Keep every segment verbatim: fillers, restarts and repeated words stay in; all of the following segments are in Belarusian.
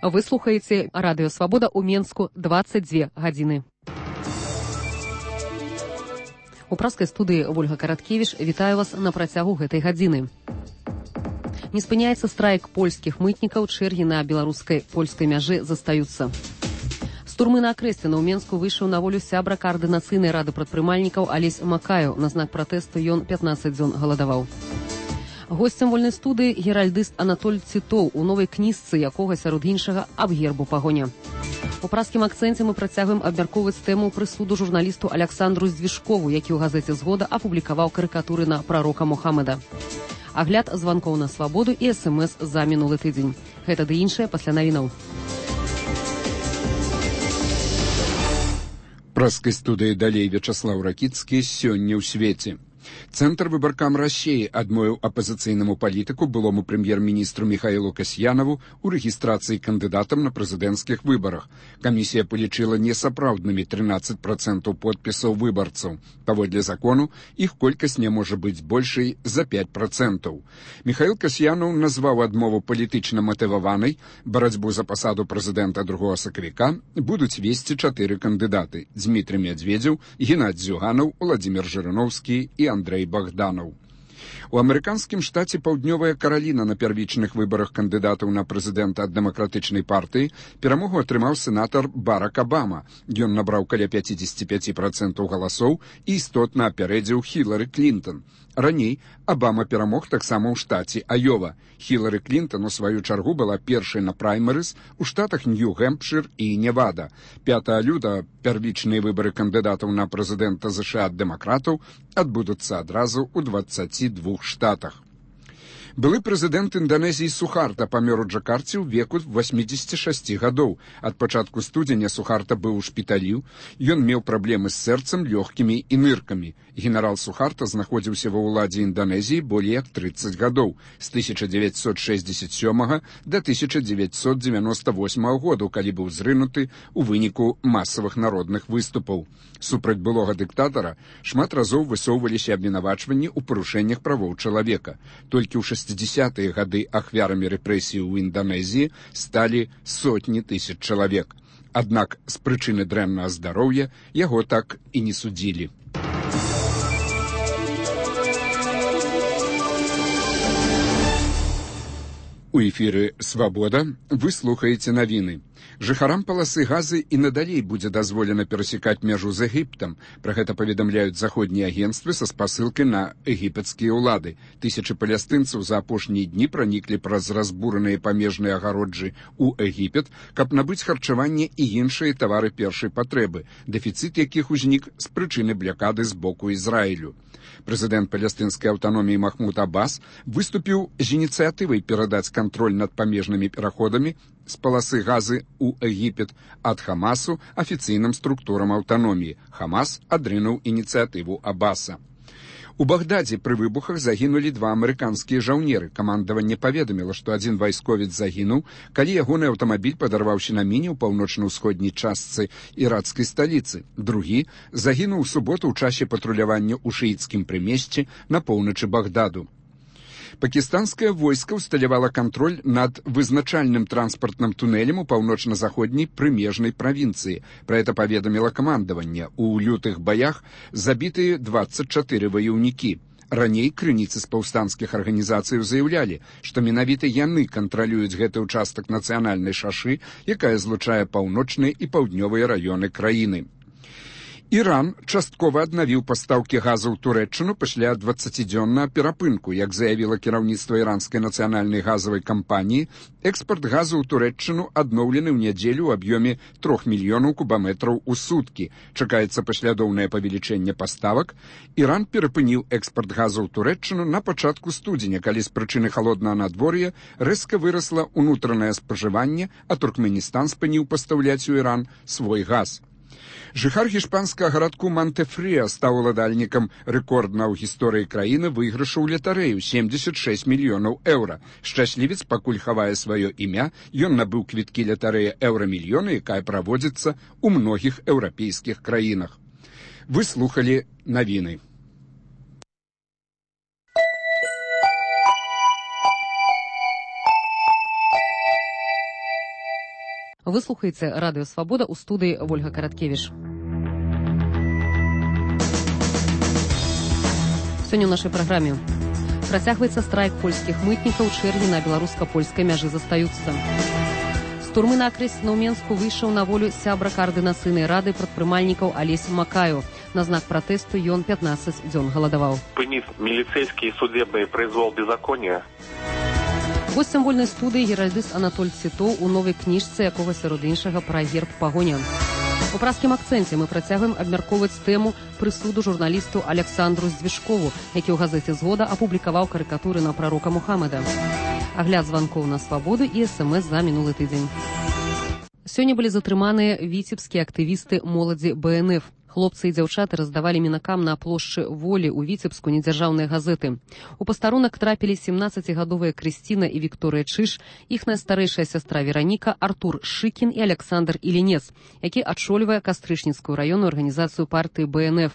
Вы слухаеце радыё Свабода ў Менску дваццаць дзве гадзіны. У праскай студыі Вольга Караткевіч вітаю вас на працягу гэтай гадзіны. Не спыняецца страйк польскіх мытнікаў, чэргі на беларускай польскай мяжы застаюцца. З турмы на Акрэсціна ў Менску выйшаў на волю сябра каардынацыйнай рады прадпрымальнікаў Алесь Макаю. На знак пратэсту ён пятнаццаць дзён галадаваў. Госцем вольнай студыі геральдыст Анатоль Цітоў, у новай кніжцы якога, сярод іншага, аб гербу пагоня. У праскім акцэнце мы працягваем абмяркоўваць тэму прысуду журналісту Аляксандру Здвижкову, які ў газеце «Згода» апублікаваў карыкатуры на прарока Мухаммада. Агляд званкоў на Свабоду і эс эм эс за мінулы тыдзень. Гэта ды іншае пасля навінаў. Праскай студыі далей Вячаслаў Ракіцкі сёння ў свеце. Центр выбаркам России адмовіў апазіцыйнаму палітыку, былому прэм'ер-міністру Михаилу Касьянову, у рэгістрацыі кандыдатам на прэзідэнцкіх выбарах. Камісія палічыла несапраўднымі трынаццаць працэнтаў подпісаў выбарцаў. Паводле закону, іх колькасць не можа быць большай за пяць працэнтаў. Михаил Касьянов назваў адмову палітычна матываванай. Барацьбу за пасаду прэзідэнта другога сакавіка будуць весці чатыры кандыдаты: Дмітрий Медведзеў, Геннадзь Зюганов, Владимир Жириновский і Андрей Богданов. У амерыканскім штаце Паўднёвая Караліна на первічных выбарах кандыдатаў на прэзідэнта ад дэмакратычнай партыі перамогу атрымаў сенатар Барак Абама. Ён набраў каля пяцьдзесят пяць працэнтаў галасоў і істотна апярэдзіў Хілары Клінтон. Раней Абама перамог таксама ў штаце Айова. Хілары Клінтон, у сваю чаргу, была першай на праймерыз у штатах Нью-Гэмпшир і Невада. пятага лютага первічныя выбары кандыдатаў на прэзідэнта ЗША ад дэмакратаў адбудуцца адразу ў дваццаці двух штатах. Былы прэзідэнт Інданезіі Сухарта памёр у Джакарце ў веку васьмідзесяці шасці гадоў. Ад пачатку студзеня Сухарта быў у шпіталі. Ён меў праблемы з сэрцам, лёгкімі і ныркамі. Генерал Сухарта знаходзіўся ва ўладзе Інданезіі болей як трыццаць гадоў, з тысяча дзевяцьсот шэсцьдзесят сёмага да тысяча дзевяцьсот дзевяноста восьмага году, калі быў зрынуты ў выніку масавых народных выступаў. Супраць былога дыктатара шмат разоў высоўваліся абвінавачванні ў парушэннях правоў чалавека. Толькі ў шэсцідзесятыя гады ахвярамі рэпрэсій у Інданезіі сталі сотні тысяч чалавек. Аднак з прычыны дрэннага здароўя яго так і не судзілі. У эфіры «Свабода» вы слухаеце навіны. Жыхарам паласы Газы і надалей будзе дазволена перасекаць мяжу з Егіптам. Пра гэта паведамляюць заходнія агенцтвы са спасылкай на егіпецкія ўлады. Тысячы палестынцаў за апошнія дні праніклі праз разбураныя памежныя агароджы ў Егіпет, каб набыць харчаванне і іншыя тавары першай патрэбы, дэфіцыт якіх узнік з прычыны блякады з боку Ізраілю. Прэзідэнт палестынскай аўтаноміі Махмуд Аббас выступіў з ініцыятывай перадаць кантроль над памежнымі пераходамі з паласы Газы ў Егіпет ад Хамасу афіцыйным структурам аўтаноміі. Хамас адрынуў ініцыятыву Аббаса. У Багдадзе пры выбухах загінулі два амерыканскія жаўнеры. Камандаванне паведаміла, што адзін вайсковец загінуў, калі ягоны аўтамабіль падарваўся на міне ў паўночна-ўсходняй частцы іракскай сталіцы. Другі загінуў у суботу ў часе патрулявання ў шыіцкім прымесці на поўначы Багдаду. Пакістанскае войска ўсталявала кантроль над вызначальным транспартным тунэлем у паўночна-заходняй прымежнай правінцыі. Пра гэта паведаміла камандаванне. У лютых баях забітыя дваццаць чатыры ваяўнікі. Раней крыніцы з паўстанцкіх арганізацый заяўлялі, што менавіта яны кантралююць гэты ўчастак нацыянальнай шашы, якая злучае паўночныя і паўднёвыя раёны краіны. Іран часткова аднавіў пастаўкі газу ў Турэччыну пасля дваццацідзённага перапынку. Як заявіла кіраўніцтва іранскай нацыянальнай газавай кампаніі, экспарт газу ў Турэччыну адноўлены ў нядзелю ў аб'ёме трох мільёнаў кубаметраў у суткі. Чакаецца паслядоўнае павелічэнне паставак. Іран перапыніў экспарт газу ў Турэччыну на пачатку студзеня, калі з прычыны халоднага надвор'я рэзка вырасла ўнутранае спажыванне, а Туркменістан спыніў пастаўляць у Іран свой газ. Жыхар гішпанскага гарадку Монтефріа стаў уладальнікам рэкордна ў гісторыі краіны выйгрышу ў латарэю семьдесят шесть мільёнаў еўра. Шчаслівец пакуль хавае сваё імя, ён набыў квіткі латарэя еўрамільёна, якая праводзіцца ў многіх еўрапейскіх краінах. Вы слухалі навіны. Вы слухаеце радыё Свабода, у студыі Ольга Караткевіш. Сёння ў нашай праграме працягваецца страйк польскіх мытнікаў, чэргі на беларуска-польскай мяжы застаюцца. З турмы на Акрэсціна ў Менску выйшаў на волю сябра каардынацыйнай рады прадпрымальнікаў Алесь Макаю. На знак пратэсту ён пятнаццаць дзён галадаваў. Спыніць міліцэйскі і судебны прызвол беззаконня. Госцем вольнай студыі геральдыст Анатоль Цітоў у новай кніжцы, якога сярод іншага пра герб пагоня. У празкім акцэнце мы працягваем абмяркоўваць тэму прысуду журналісту Александру Здвижкову, які ў газеце «Згода» апублікаваў карыкатуры на прарока Мухаммада. Агляд званкоў на Свабоду і эс-эм-эс за мінулы тыдзень. Сёння былі затрыманыя віцебскія актывісты моладзі бэ эн эф. Хлопцы і дзяўчаты раздавалі мінакам на плошчы Волі ў Віцебску недзяржаўныя газеты. У пастарунак трапілі семнаццацігадовыя Крысціна і Вікторыя Чыш, іхная старэйшая сястра Вераніка, Артур Шыкін і Александр Ілінец, які адчольвае Кастрычніцкую раённую арганізацыю партыі бэ эн эф.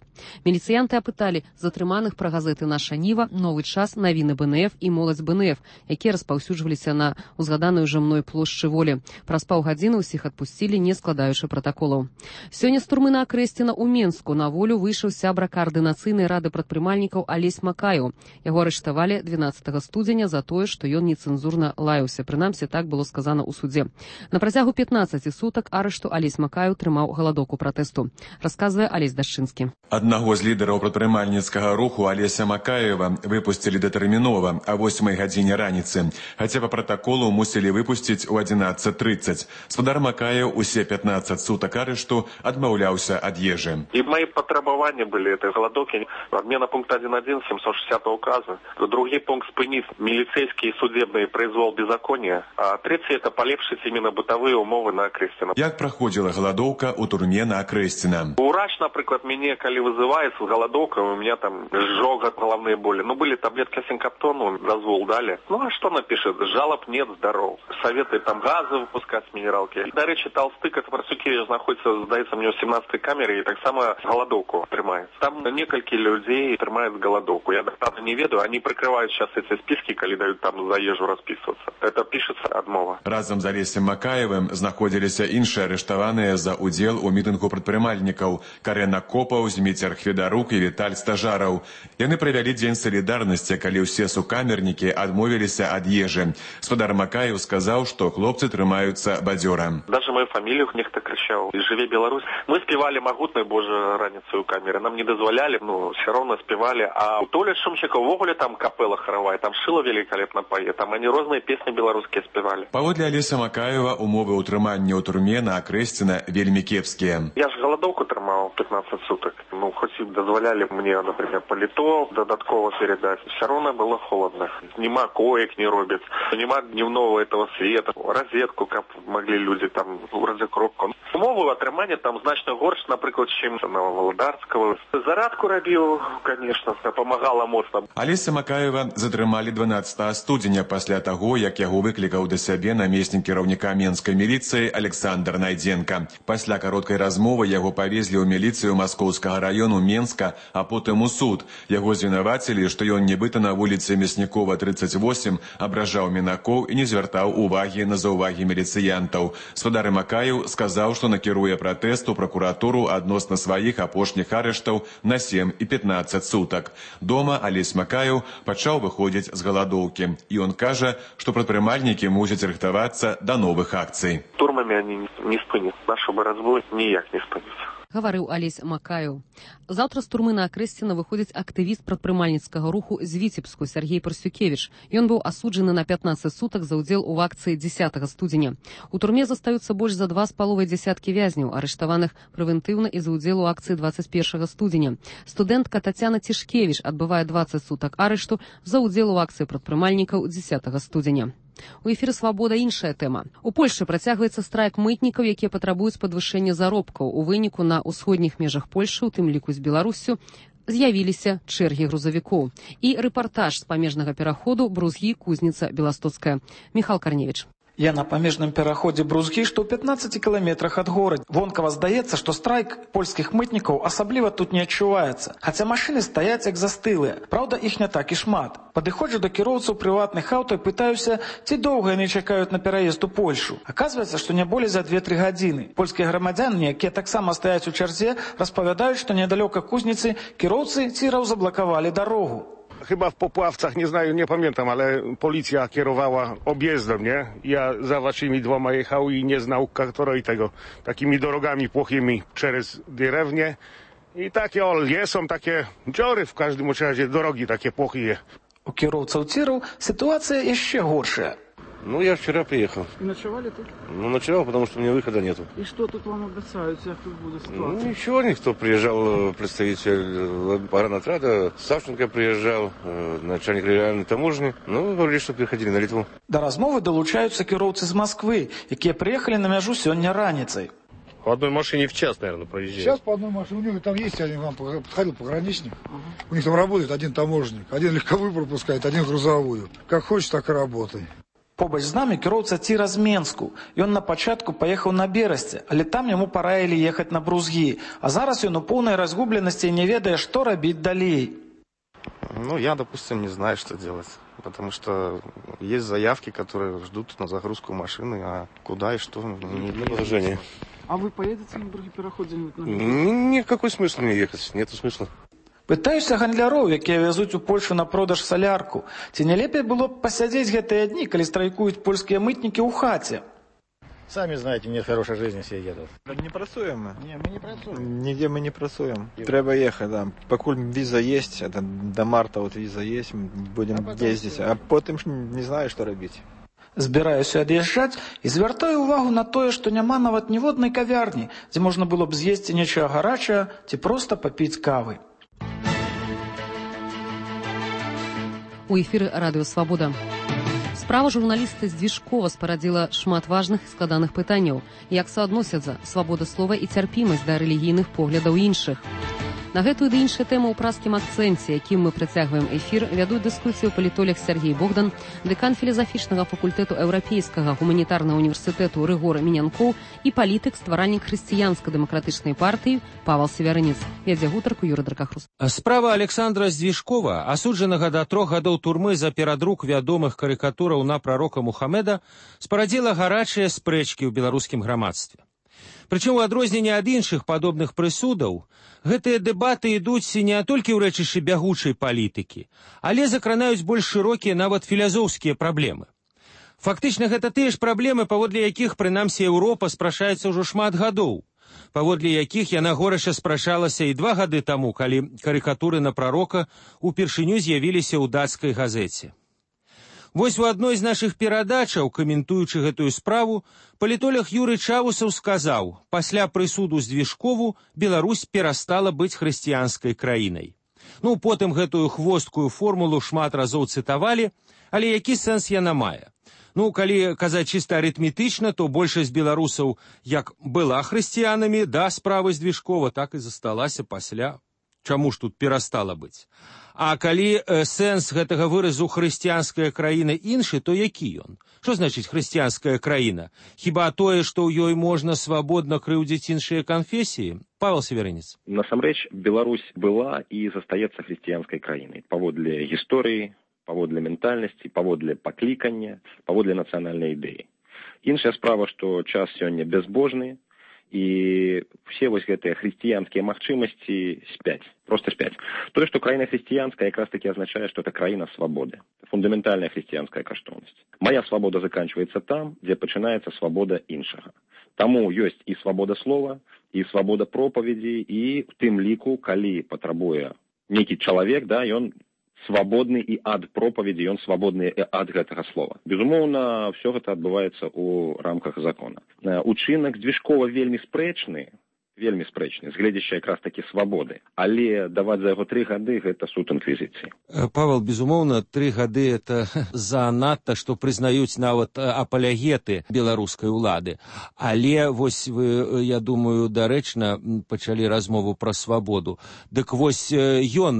Міліцыянты апыталі затрыманых пра газеты «Наша Ніва», «Новы час», «Навіны бэ эн эф» і «Моладзь бэ эн эф», якія распаўсюджваліся на узгаданую ўжо мной плошчы Волі. Праз паўгадзіны ўсіх адпусцілі, не складаючы пратаколаў. Сёння з турмы на Акрэсціна ў Менску на волю выйшаў сябра каардынацыйнай рады прадпрымальнікаў Алесь Макаю. Яго арыштавалі дванаццатага студзеня за тое, што ён нецэнзурна лаяўся. Прынамсі, так было сказана ў судзе. На працягу пятнаццаці сутак арышту Алесь Макаю трымаў галадоўку пратэсту. Расказвае Алесь Дашчынскі. Аднаго з лідараў прадпрымальніцкага руху Алеся Макаева выпусцілі датэрмінова а восьмай гадзіне раніцы, хаця па пратаколу мусілі выпусціць у адзінаццаць трыццаць. Спадар Макаев усе пятнаццаць сутак арышту адмаўляўся ад ежы. И мои потребования были этой голодовки. Отмена пункта один точка один семьсот шестидесятого указа. Другой пункт спынить милицейский и судебный произвол беззакония. А третий это полепшить именно бытовые умовы на Акрэсціна. Як проходила голодовка у турме на Акрэсціна? Урач, например, меня, коли вызывает с голодовкой, у меня там жога, головные боли. Ну, были таблетки синкоптону, дозвол дали. Ну, а что напишет? Жалоб нет, здоров. Советует там газы выпускать с минералки. До речи, Толстык, это Парсукевич находится, сдается мне в семнадцатой камере, и так само голодовку трымается. Там несколько людей трымают голодовку. Я доктора не ведаю, они прикрывают сейчас эти списки, когда дают там за ежу расписываться. Это пишется адмова. Разом з Алесем Макаевым знаходзіліся іншыя арыштаваныя за удзел у мітынгу прадпрымальнікаў Карена Копаў, Зміцер Хведарук і Віталь Стажараў. Яны правялі дзень салідарнасці, калі ўсе сукамернікі адмовіліся ад ежы. Спадар Макаев сказаў, што хлопцы трымаюцца бадзёра. Даже мою фамилию нехто кричал. «Живи Беларусь». Мы спевали «Могутной Божьей раніцу» у камеры. Нам не дозволяли, ну, все равно спевали. А у Толи Шумчика в Оголе там капелла хоровая, там Шило великолепно поет. Там они разные песни белорусские спевали. Паводле Алеся Макаева умовы ўтрымання ў турме на Акрэсціна вельмі кепскія. Я ж голодовку трымал пятнадцать суток. Ну, хоть и дозволяли мне, например, паліто додатково передать. Все равно было холодно. Нема коек не робят. Нема дневного этого света. Розетку, как могли люди там, розекропку. Умовы атрымання там значно горш, например, чем на Володарского. Зарадку робил, конечно, помогала моцна. Алеся Макаева затрымалі дванаццатага студзеня пасля таго, як яго выклікаў да сябе намеснік кіраўніка менскай міліцыі Александр Найдзенка. Пасля кароткай размовы яго павезлі ў міліцыю Маскоўскага раёну Менска, а потым у суд. Яго звінавацілі, што ён нібыта на вуліцы Мяснікова тридцать восемь абражаў мінакоў і не звяртаў увагі на заўвагі міліцыянтаў. Спадар Макаев сказаў, што накіруе пратэст у пракуратуру адносна сваіх апошніх арыштаў на сем і пятнаццаць сутак. Дома Алесь Макаев пачаў выходзіць з галадоўкі. І ён кажа, што прадпрымальнікі мусяць рыхтавацца да новых акцый. Турмамі они не спынят. Нашу барацьбу ніяк не спынят. Гаварыў Алесь Макаев. Заўтра з турмы на Акрэсціна выходзіць актывіст прадпрымальніцкага руху з Віцебску Сергей Парсукевич. Ён быў асуджаны на пятнаццаць сутак за ўдзел у акцыі дзесятага студзеня. У турме застаюцца больш за два з паловай дзясяткі вязняў, арыштаваных прэвентыўна і за ўдзел у акцыі дваццаць першага студзеня. Студэнтка Тацяна Цішкевіч адбывае дваццаць сутак арышту за ўдзел у акцыі прадпрымальнікаў дзесятага студзеня. У эфіры «Свабода» іншая тэма. У Польшчы працягваецца страйк мытнікаў, якія патрабуюць падвышэння заробкаў. У выніку на ўсходніх межах Польшчы, у тым ліку з Беларуссю, з'явіліся чэргі грузавікоў. І рэпартаж з памежнага пераходу Брузгі, Кузніца, Беластоцкая. Міхал Карневіч. Я на памежным пераходзе Брузгі, што ў пятнаццаці кіламетрах ад горада. Вонкава здаецца, што страйк польскіх мытнікаў асабліва тут не адчуваецца. Хаця машыны стаяць як застылыя. Праўда, іх не так і шмат. Падыходжу да кіроўцаў прыватных аўто і пытаюся, ці доўга яны чакаюць на пераезд у Польшу. Аказваецца, што не болей за две-тры гадзіны. Польскія грамадзяне, якія таксама стаяць у чарзе, распавядаюць, што недалёка Кузніцы кіроўцы ціраў заблакавалі дарогу. Chyba w Popławcach, nie znаю, nie pamiętam, ale policja kierowała objezdem, nie? Ja za waszymi dwoma jechał i nie znał której tego, takimi drogami płochymi przez dyrewnię. I takie o, są takie dziury w każdym razie, drogi takie płochyje. У кіроўцаў ціраў ситуация яшчэ горшая. Ну, я вчера приехал. И ночевали тут? Ну, ночевал, потому что у меня выхода нету. И что тут вам обещают, как тут будет ситуация? Ну, ничего, никто. Приезжал представитель паранотрада, Савченко приезжал, начальник региональной таможни. Ну, говорили, что приходили на Литву. До размовы долучаются кіроўцы з Москвы, якія приехали на мяжу сёння раніцай. По одной машине в час, наверное, проезжает. Сейчас по одной машине. У него там есть, один вам подходил пограничник. Uh-huh. У них там работает один таможенник. Один легковую пропускает, один грузовую. Как хочешь, так и работай. Побач з намі кіроўца ціра з Менску. Ён на пачатку паехаў на Берасце, але там яму параілі ехаць на Брузгі. А зараз ён у поўнай разгубленасці і не ведае, што рабіць далей. Ну, я, допустим, не знаю, что делать. Потому что есть заявки, которые ждут на загрузку машины, а куда и что, не для положения. А вы поедете на другой переход где-нибудь? Никакой смысла не ехать, нету смысла. Пытаюся гандляроў, якія вязуць у Польшу на продаж салярку. Ці не лепей было б пасядзець гэтыя дні, калі страйкуюць польскія мытнікі ў хаце? Сами знаете, нет хорошей жизни, все едут. Не працуем мы. Не, мы не працуем. Нигде мы не працуем. Треба ехать, да. Покуль виза есть, это до марта вот виза есть, будем а ездить. А потом не знаю, что робить. Збіраюся ад'язджаць і звяртаю увагу на тое, што няма нават ніводнай кавярні, дзе можна было б з'есці нечага гарачае ці проста папіць кавы. У эфіры радыё «Свабода». Справа журналіста Здвижкова спарадзіла шмат важных і складаных пытанняў, як суадносяцца свабода слова і цярпімасць да рэлігійных поглядаў іншых. На гэтую ды іншыя тэмы ў праскім акцэнце, якім мы працягваем эфір, вядуць дыскусію палітолог Сергей Богдан, дэкан філазафічнага факультэту Еўрапейскага гуманітарнага універсітэту Рыгор Мінянкоў і палітык, стваральнік хрысціянска-дэмакратычнай партыі Павел Севярынец. Вядзе гутарку Юрый Дракахрус. Справа Александра Здвижкова, асуджанага да трох гадоў турмы за перадрук вядомых карыкатураў на прарока Мухаммеда, спарадзіла гарачыя спрэчкі ў беларускім грамадстве. Прычым у адрозненне ад іншых падобных прысудаў, гэтыя дэбаты ідуць не толькі ў рэчышчы бягучай палітыкі, але закранаюць больш шырокія нават філазофскія праблемы. Фактычна гэта тыя ж праблемы, паводле якіх, прынамсі, Еўропа спрачаецца ўжо шмат гадоў, паводле якіх яна горача спрачалася і два гады таму, калі карыкатуры на прарока упершыню з'явіліся ў дацкай газеце. Вось у адной з нашых перадачаў, каментуючы гэтую справу, палітолог Юрый Чавусаў сказаў, пасля прысуду Здвижкову Беларусь перастала быць хрысціянскай краінай. Ну, потым гэтую хвосткую формулу шмат разоў цытавалі, але які сэнс яна мае? Ну, калі казаць чыста арытметычна, то большасць беларусаў як была хрысціянамі да справы Здвижкова, так і засталася пасля. Чаму ж тут перастала быць? А калі э, сэнс гэтага выразу хрысціянская краіна іншы, то які ён? Што значыць хрысціянская краіна? Хіба тое, што ў ёй можна свабодна крыўдзіць іншыя канфесіі? Павел Севярынец. Насамрэч, Беларусь была і застаецца хрысціянскай краінай. Паводле гісторыі, паводле ментальнасці, паводле паклікання, паводле нацыянальнай ідэі. Іншая справа, што час сёння бязбожны, і все вось гэтыя хрысціянскія магчымасці спяць, просто спяць. Тое, што краіна хрысціянская, якраз таки азначае, што это краіна свабоды, фундаментальная хрысціянская каштоўнасць. Мая свабода заканчваецца там, дзе пачынаецца свабода іншага. Таму ёсць і свабода слова, і свабода пропаведзі, і в тым ліку, калі патрабуе нейкі чалавек, да, ён свабодны і ад пропаведзі, ён свабодны і ад гэтага слова. Безумоўна, все гэта адбываецца ў рамках закона. Учынак Здвижкова вельмі спрэчны, вельмі спрэчны, з гледзяща якраз такі свабоды. Але даваць за яго тры гады гэта суд інквізіцыі. Павел, безумоўна, тры гады это занадта, што прызнаюць нават апалягеты беларускай улады. Але вось вы, я думаю, дарэчна пачалі размову пра свабоду. Дык вось ён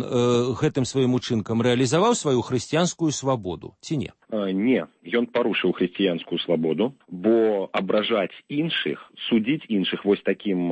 гэтым сваім учынкам рэалізаваў сваю хрысціянскую свабоду, ці не? Не, ён парушыў хрысціянскую свабоду, бо абражаць іншых, судзіць іншых вось такім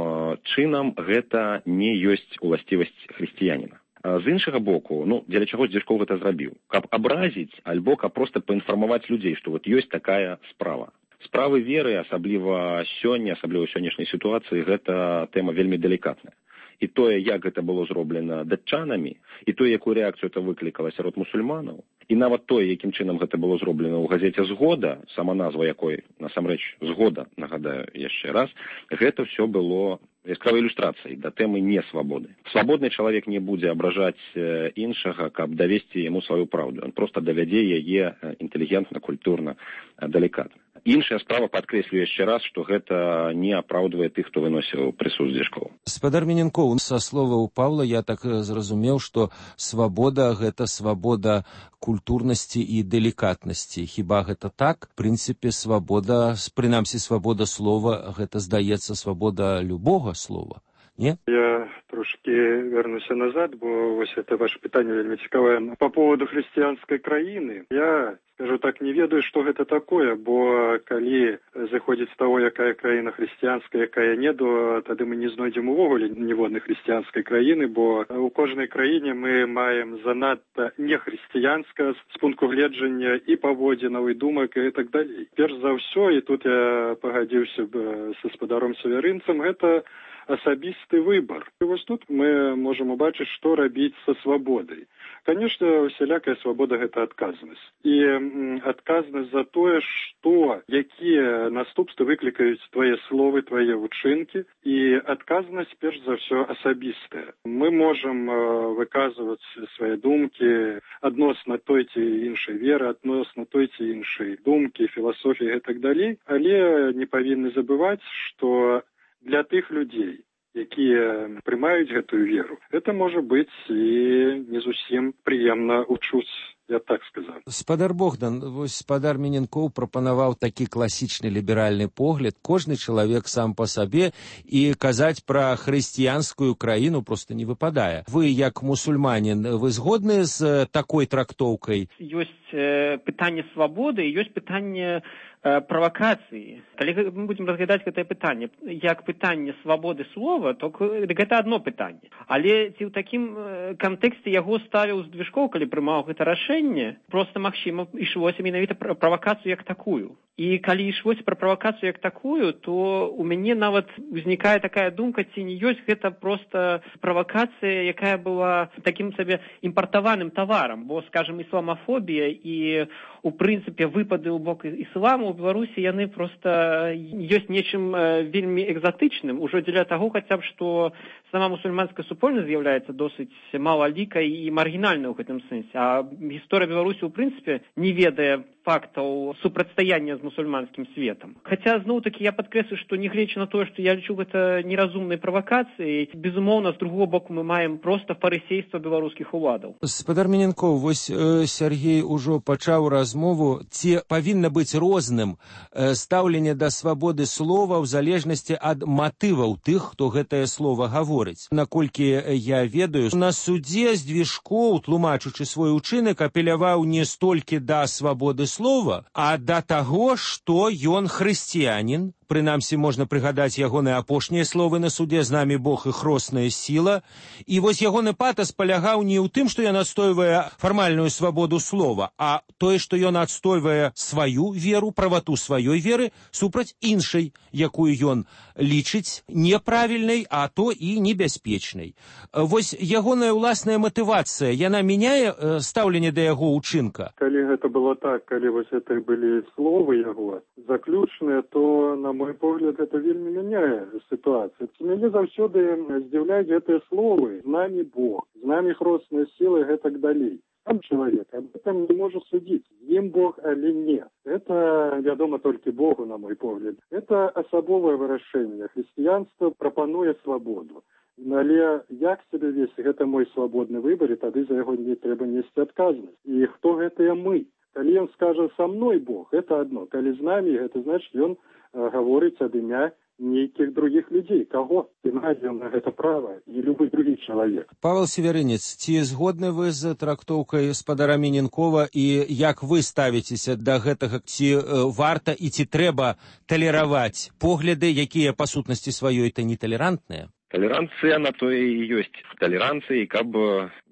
чынам, гэта не ёсць уласцівасць хрысціяніна. З іншага боку, ну, дзеля чаго Дзяжкоў гэта зрабіў? Каб абразіць, альбо каб проста паінфармаваць людзей, што вот ёсць такая справа. Справы веры, асабліва сёння, асабліва ў сённяшняй сітуацыі, гэта тэма вельмі далікатная. І тое, як гэта было зроблена датчанамі, і тое, якую рэакцыю это выклікала сярод мусульманаў, і нават тое, якім чынам гэта было зроблена ў газеце «Згода», сама назва якой, насамрэч, «Згода», нагадаю яшчэ раз, гэта ўсё было яскравай ілюстрацыяй да тэмы несвабоды. Свабодны чалавек не будзе абражаць іншага, каб давесці яму сваю праўду. Ён проста давядзе яе інтэлігентна, культурна, далікатна. Іншая справа, падкрэслю яшчэ раз, што гэта не апраўдвае тых, хто выносіў прысуд Дзяжкоў. Спадар Мененкоў, са словаў Павла я так зразумеў, што свабода – гэта свабода культурнасці і далікатнасці. Хіба гэта так? В прынцыпе, свабода, прынамсі, свабода слова – гэта, здаецца, свабода любога слова. Не? Я трошки вернуся назад, бо вось это ваше пытанне вельмі цікавае. По поводу хрысціянскай краіны, я, скажу так, не ведаю, што гэта такое, бо калі заходзіць з таго, якая краіна хрысціянская, якая не, то тады мы не знойдзем увогуле ніводнай хрысціянскай краіны, бо у кожнай краіне мы маем занадта нехрысціянска з пункту гледжання і паводзінаў, і думак, і так далей. Перш за ўсё, і тут я пагадзіўся б са спадаром Савярынцам, гэта асабісты выбар. І вось тут мы можам убачыць, што рабіць са свабодай. Конечно, усялякая свабода – гэта адказнасць. І адказнасць за тое, што, якія наступствы выклікаюць твае словы, твае учынкі, і адказнасць, перш за ўсё, асабістая. Мы можам выказваць свае думкі адносна той ці іншай веры, адносна той ці іншай думкі, філасофіі і так далей, але не павінны забываць, што для тых людзей, якія прымаюць гэтую веру, это можа быць і не зусім прыемна учуць, я так сказаў. Спадар Богдан, вось спадар Мененкоў прапанаваў такі класічны ліберальны погляд. Кожны чалавек сам па сабе, і казаць пра хрысціянскую краіну проста не выпадае. Вы, як мусульманін, вы згодны з такой трактоўкай? Ёсць э, пытанне свабоды, ёсць пытанне правакацыі. Калі мы будзем разглядаць гэтае пытанне як пытанне свабоды слова, то гэта адно пытанне. Але ці ў такім кантэксце яго ставіў Дзяжкоў, калі прымаў гэта рашэнне, проста магчыма ішлося менавіта пра правакацыю як такую. І калі ішлося пра правакацыю як такую, то у мяне нават узнікае такая думка, ці не ёсць гэта проста правакацыя, якая была такім сабе імпартаваным таварам, бо, скажем, ісламафобія і у прынцыпе выпады ў бок ісламу ў Беларусі яны проста ёсць нечым вельмі экзатычным, ужо дзеля таго хаця б, што сама мусульманская супольнасць з'яўляецца досыць малалікай і маргінальнай у гэтым сэнсе. А гісторыя Беларусі ў прынцыпе не ведае фактаў супрацьстаяння з мусульманскім светам. Хаця, зноў-такі, я падкрэслю, што нягледзячы на тое, што я лічу гэта неразумнай правакацыяй, безумоўна, з другого боку мы маем проста фарысейства беларускіх уладаў. Спадар Мененкоў, вось э, Сергей ужо пачаў размову, ці павінна быць розным э, стаўленне да свабоды слова ў залежнасці ад матываў тых, хто гэтае слова гаворыць. Наколькі я ведаю, на судзе Дзяжкоў, тлумачучы свой учынак, апеляваў не столькі да свабоды слова, а да таго, што ён хрысціянін. Прынамсі, можна прыгадаць ягоныя апошнія словы на судзе «З намі Бог і хросная сіла». І вось ягоны патас палягаў не ў тым, што ён адстойвае фармальную свабоду слова, а тое, што ён адстойвае сваю веру, правату сваёй веры супраць іншай, якую ён лічыць неправільнай, а то і небяспечнай. Вось ягоная ўласная матывацыя, яна мяняе э, стаўленне да яго ўчынка? Калі гэта было так, калі вось это былі словы яго заключныя, то, на мой погляд, это вельмі мяняе сітуацыю. Мяне заўсёды здзіўляюць гэтыя словы «З намі Бог», «З намі хросная сіла» і гэтак далей. Сам чалавек об этом не можа судзіць, з ім Бог, але не. Это вядома толькі Богу, на мой погляд. Это асабовае вырашэнне. Хрысціянства прапануе свабоду. Але як сябе весці, гэта мой свабодны выбар, і тады за яго не трэба несці адказнасць. І хто гэтыя мы? Калі ён скажа «са мной Бог», гэта адно. Калі з намі, гэта значыць, ён гаворыць ад імя нейкіх других людзей. Каго спінаць ён на гэта права і любы другі чалавек. Павел Северынец, ці згодны вы з трактоўкай спадара Міненкова і як вы ставіцеся да гэтага, ці варта і ці трэба талераваць погляды, якія па сутнасці сваёй то неталерантныя? Толеранция на то и есть толеранция, каб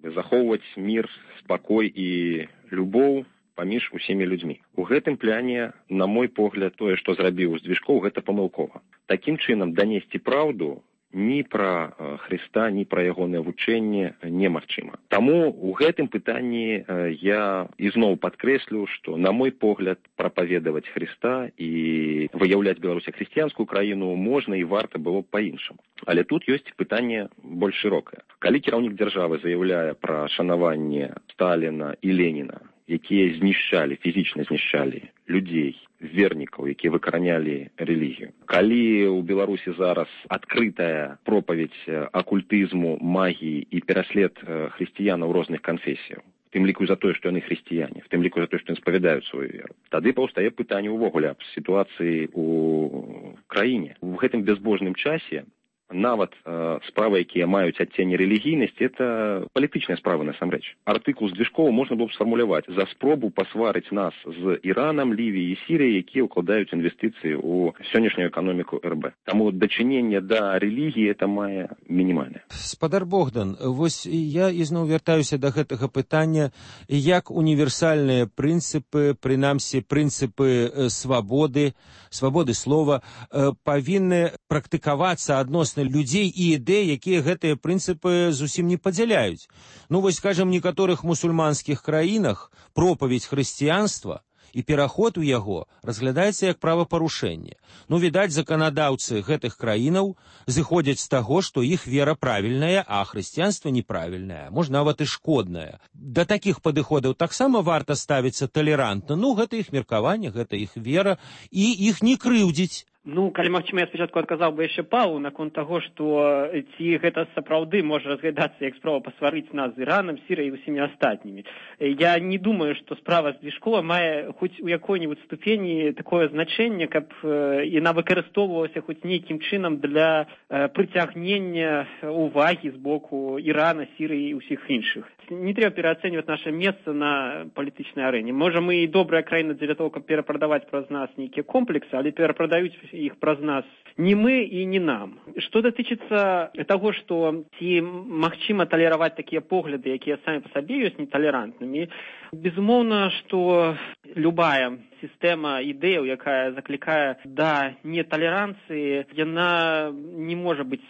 захоўваць мир, спакой и любоў паміж усімі людзьмі. У гэтым пляне, на мой погляд, тое, што зрабіў Здвижков, гэта памылкова. Такім чынам данесці праўду ні пра Хрыста, ні пра ягонае вучэнне немагчыма. Таму у гэтым пытанні я ізноў падкрэслю, што, на мой погляд, прапаведаваць Хрыста і выяўляць Беларусь як хрысціянскую краіну можна і варта было б па-іншаму. Але тут ёсць пытанне больш шырокае. Калі кіраўнік дзяржавы заяўляе пра шанаванне Сталіна і Леніна, якія знішчалі, фізічна знішчалі людзей, вернікаў, якія выкаранялі рэлігію. Калі ў Беларусі зараз адкрытая пропаведь акультызму, магіі і пераслед хрысціянаў розных канфесіяў, в тым ліку за тое, што яны хрысціяне, в тым ліку за тое, што яны спавядаюць сваю веру, тады паўстае пытанне ўвогуле аб сітуацыі ў краіне. У гэтым бязбожным часе нават э, справы, якія маюць адценне рэлігійнасці, это палітычныя справы насамрэч. Артыкул Здвижкова можна было б сфармуляваць за спробу пасварыць нас з Іранам, Лівіяй і Сірыяй, якія ўкладаюць інвестыцыі ў сённяшнюю эканоміку эр бэ. Таму дачыненне да рэлігіі это мае мінімальнае. Спадар Богдан, вось я ізноў вяртаюся да гэтага пытання, як універсальныя прынцыпы, прынамсі прынцыпы свабоды, свабоды слова, павінны практыкавацца адносна людзей і ідэй, якія гэтыя прынцыпы зусім не падзяляюць. Ну, вось, скажем, в некаторых мусульманскіх краінах пропаведь хрысціянства і пераход у яго разглядаецца як правапарушэнне. Ну, відаць, заканадаўцы гэтых краінаў зыходзяць з таго, што іх вера правільная, а хрысціянства неправільнае, можа, нават і шкоднае. Да такіх падыходаў таксама варта ставіцца талерантна. Ну, гэта іх меркаванне, гэта іх вера, і іх не крыўдзіць. Ну, калі магчыма, я спачатку адказаў бы яшчэ Павлу наконт таго, што ці гэта сапраўды можа разглядацца як справа пасварыць нас з Іранам, Сірыяй і усімі астатнімі. Я не думаю, што справа Здвижкова мае хоць у якой-небудзь ступені такое значэнне, каб яна выкарыстоўвалася хоць нейкім чынам для прыцягнення увагі з боку Ірана, Сірыі і ўсіх іншых. Не трэба пераацэньваць наша месца на палітычнай арэне. Можа, мы і добрая краіна для того, каб перапрадаваць праз нас нейкія комплексы, але перапрадаюць іх праз нас не мы і не нам. Што датычыцца таго, што ці магчыма талераваць такія погляды, якія самі па сабе ёсць неталерантнымі, безумоўна, што любая сістэма ідэяў, якая заклікае да неталеранцыі, яна не можа быць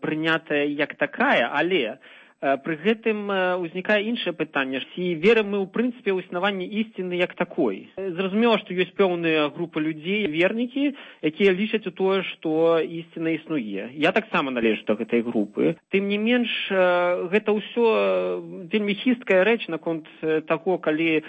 прынятая як такая, але пры гэтым узнікае іншае пытанне. Ці верым мы ў прынцыпе ў існаванне ісціны як такой? Зразумела, што ёсць пэўныя групы людзей, вернікі, якія лічаць у тое, што ісціна існуе. Я таксама належу да гэтай групы. Тым не менш, гэта ўсё вельмі хісткая рэч наконт таго, калі,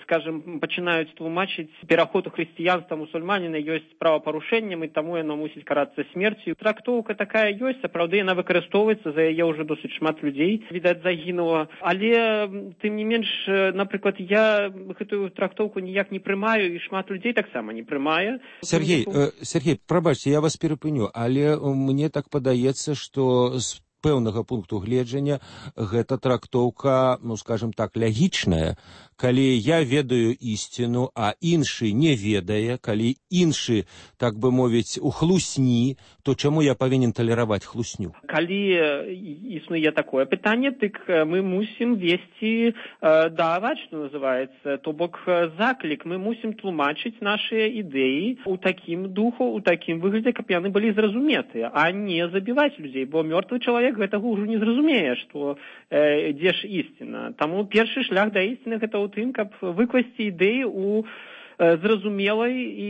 скажем, пачынаюць тлумачыць пераход у хрысціянства мусульманіна ёсць правапарушэннем, і таму яно мусіць карацца смерцю. Трактоўка такая ёсць, сапраўды яна выкарыстоўваецца, за яе ўжо досыць шмат людзей, відаць, загінула. Але, тым не менш, напрыклад, я гэтую трактоўку ніяк не прымаю, і шмат людзей таксама не прымае. Сергей, э, Сергей, прабачце, я вас перапыню, але мне так падаецца, што з пэўнага пункту гледжання гэта трактоўка, ну, скажем так, лягічная. Калі я ведаю ісціну, а іншы не ведае, калі іншы, так бы мовіць, у хлусні, то чаму я павінен талераваць хлусню? Калі існуе такое пытанне, дык мы мусім весці даваць, што называецца, то бок заклік. Мы мусім тлумачыць нашыя ідэі ў такім духу, ў такім выглядзе, каб яны былі зразуметыя, а не забіваць людзей, бо мёртвы чалавек гэтага ўжо не зразумее, што э, дзе ж ісціна. Таму першы шлях да ісціны гэта ў тым, каб выкласці ідэі ў зразумелай і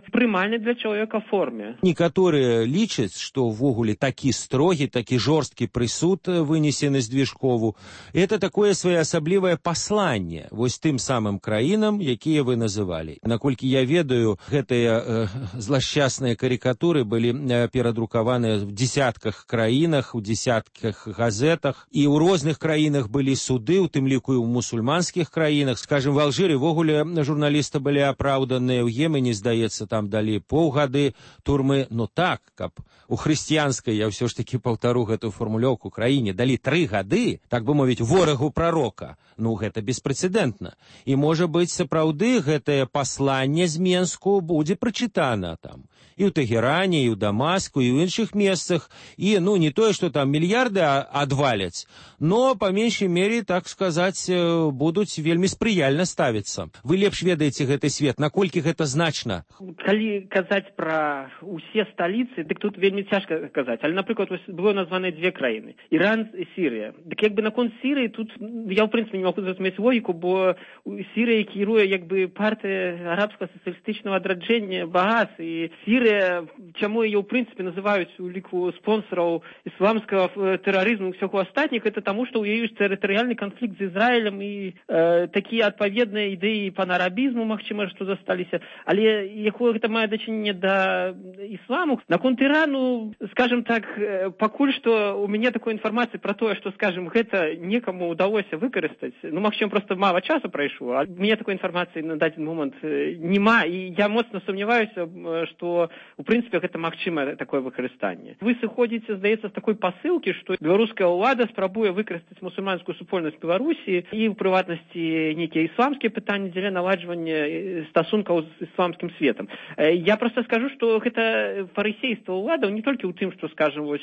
прымальнай для чалавека форме. Некаторыя лічаць, што ўвогуле такі строгі, такі жорсткі прысуд вынесены Здвижкову, это такое своеасаблівае пасланне вось тым самым краінам, якія вы называлі. Наколькі я ведаю, гэтыя э, злашчасныя карикатуры былі э, перадрукаваныя в десятках краінах, у десятках газетах, і ў розных краінах былі суды, у тым ліку і ў мусульманскіх краінах. Скажем, в Алжыры ввогуле журналісты былі более апраўданыя. У Ємені, здаецца, там далі паўгады турмы. Ну так, каб у хрысціянскай, я ўсё ж таки паўтару гэтую фармулёўку, краіне далі тры гады, так бы мовіць, ворагу прарока. Ну, гэта беспрэцэдэнтна. І, можа быць, сапраўды гэтае пасланне з Менску будзе прачытана там. І ў Тэгеране, і ў Дамаску, і ў іншых месцах. І, ну, не тое, што там мільярды адваляць, но, па меншай мере, так сказаць, будуць вельмі спрыяльна ставіцца. Вы лепш ведаеце гэты свет, наколькі гэта значна? Калі казаць пра усе сталіцы, дык тут вельмі цяжка казаць. Але, напрыклад, было названы дзве краіны. Іран і Сірыя. Дык як бы наконт Сірыі, тут я, ў прынцыпе, не магу зразумець логіку, бо Сірыя кіруе як бы партыя арабскага сацыялістычнага адраджэння Багас, і Сірыя, чаму яе, ў прынцыпе, называюць у ліку спонсораў ісламскага тэрарызму і ўсяго астатніх, это таму, што ў яе ёсць тэрытарыяльны канфлікт з Ізраілем і э, такія адпаведныя ідэі панарабізму, магчыма, што засталіся. Але якое гэта мае дачыненне да ісламу? Наконт Ірану, скажем так, пакуль што у мяне такой інфармацыі пра тое, што, скажем, гэта некаму ўдалося выкарыстаць. Ну, магчыма, проста мала часу прайшло, а у мяне такой інфармацыі на дадзены момант няма, і я моцна сумняваюся, што, у прынцыпе, гэта магчыма такое выкарыстанне. Вы сыходзіце, здаецца, з такой пасылкі, што беларуская ўлада спрабуе выкарыстаць мусульманскую супольнасць Беларусі і, ў прыватнасці, нейкія ісламскія пытанні дзеля наладжвання стасункаў з ісламскім светам. Я проста скажу, што гэта фарысейства ўладаў не толькі ў тым, што, скажем, вось,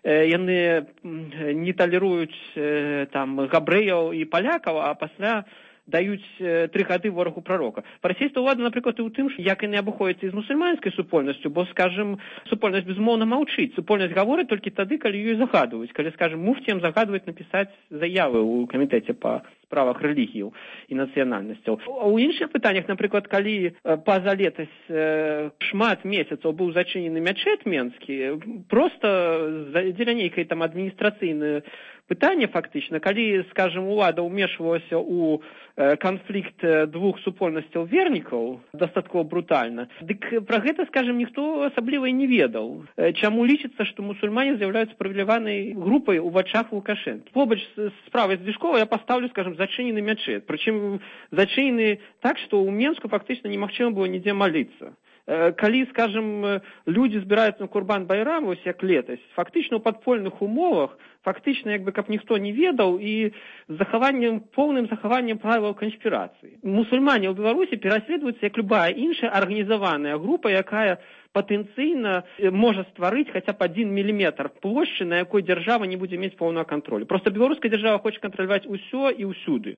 яны не талеруюць там габрэяў і палякаў, а пасля даюць тры гады ворагу прарока. Фарысейства ўлада, напрыклад, і ў тым, як яны абыходзяцца з мусульманскай супольнасцю, бо, скажем, супольнасць безумоўна маўчыць. Супольнасць гаворыць толькі тады, калі ёй загадваюць. Калі, скажем, муфціям загадваюць напісаць заявы ў камітэце па справах рэлігіяў і нацыянальнасцяў. У іншых пытаннях, напрыклад, калі па-за летась шмат месяцаў быў зачынены мячэт менскі, проста дзеля нейкай там адміністрацыйнай пытанне фактычна, калі, скажем, улада ўмешвалася ў канфлікт двух супольнасцяў вернікаў дастаткова брутальна, дык пра гэта, скажем, ніхто асабліва і не ведаў. Чаму лічыцца, што мусульмане з'яўляюцца прывіляванай групай у вачах Лукашэнкі. Побач з справай Звішкова я паставлю, скажем, зачынены мячэт. Прычым зачынены так, што ў Менску фактычна немагчыма было нідзе маліцца. Калі, скажем, людзі збіраюцца на Курбан-Байрам, вось як летась, фактычна ў падпольных умовах, фактычна, як бы, каб ніхто не ведаў, і з захаваннем, поўным захаваннем правілаў канспірацыі. Мусульмане ў Беларусі пераследуюцца як любая іншая арганізаваная група, якая патэнцыйна можа стварыць хаця б адзін міліметр плошчы, на якой дзяржава не будзе мець поўнага кантролю. Проста беларуская дзяржава хоча кантраляваць усё і ўсюды.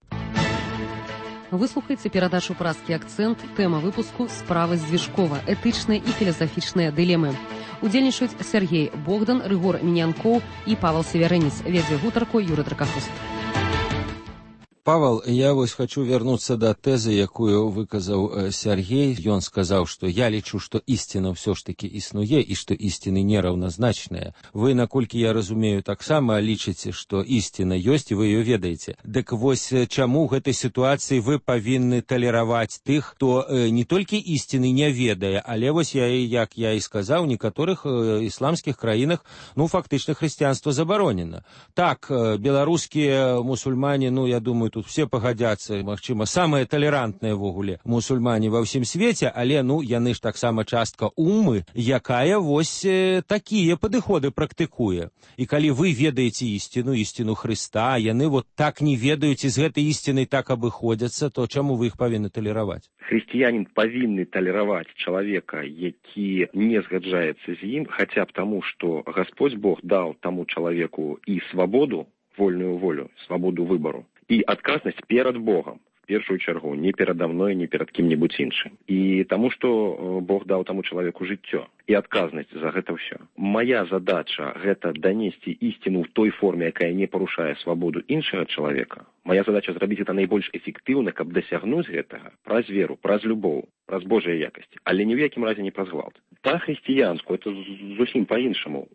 Выслухайце перадачу «Празкі акцэнт». Тэма выпуску «Справа Звішкова. Этычныя і філасафічныя дылемы». Удзельнічаюць Сергей Богдан, Рыгор Мінянкоў і Павел Северэніц. Вядзе гутарку Юрый Дракахуст. Павел, я вось хочу вернуться до тэзы, якую выказаў Сергей. Ён сказаў, што я лічу, што ісціна ўсё ж таки існуе і што ісціны нераўназначныя. Вы, наколькі я разумею, таксама лічыце, што ісціна ёсць і вы ее ведаеце. Дык вось чаму ў гэтай сітуацыі вы павінны талераваць тых, хто э, не толькі ісціны не ведае, але вось я, як я і сказаў, у некаторых э, ісламскіх краінах, ну, фактычна хрысціянства забаронена. Так, э, беларускія мусульмане, ну, я думаю, тут все пагадзяцца, магчыма, самыя талерантныя ввогуле мусульмане ва ўсім свеце, але, ну, яны ж таксама частка умы, якая вось э, такія падыходы практыкуе. І калі вы ведаеце ісціну, ісціну Хрыста, яны вот так не ведаюць і з гэтай ісцінай так абыходзяцца, то чаму вы іх павінны талераваць? Хрысціянін павінны талераваць чалавека, які не згаджаецца з ім, хаця б таму, што Гасподзь Бог даў таму чалавеку і свабоду, вольную волю, свабоду выбару, і адказнасць перад Богам, в першую чаргу, не перада мной, не перад кім-небудзь іншым. І таму, што Бог даў таму чалавеку жыццё і адказнасць за гэта ўсё. Мая задача гэта данесці ісціну ў той форме, якая не парушае свабоду іншага чалавека. Мая задача зрабіць гэта найбольш эфектыўна, каб дасягнуць гэтага праз веру, праз любоў, праз Божыя якасці, але ні ў якім разе не праз гвалт. па-хрысціянску, это зусім па-іншаму.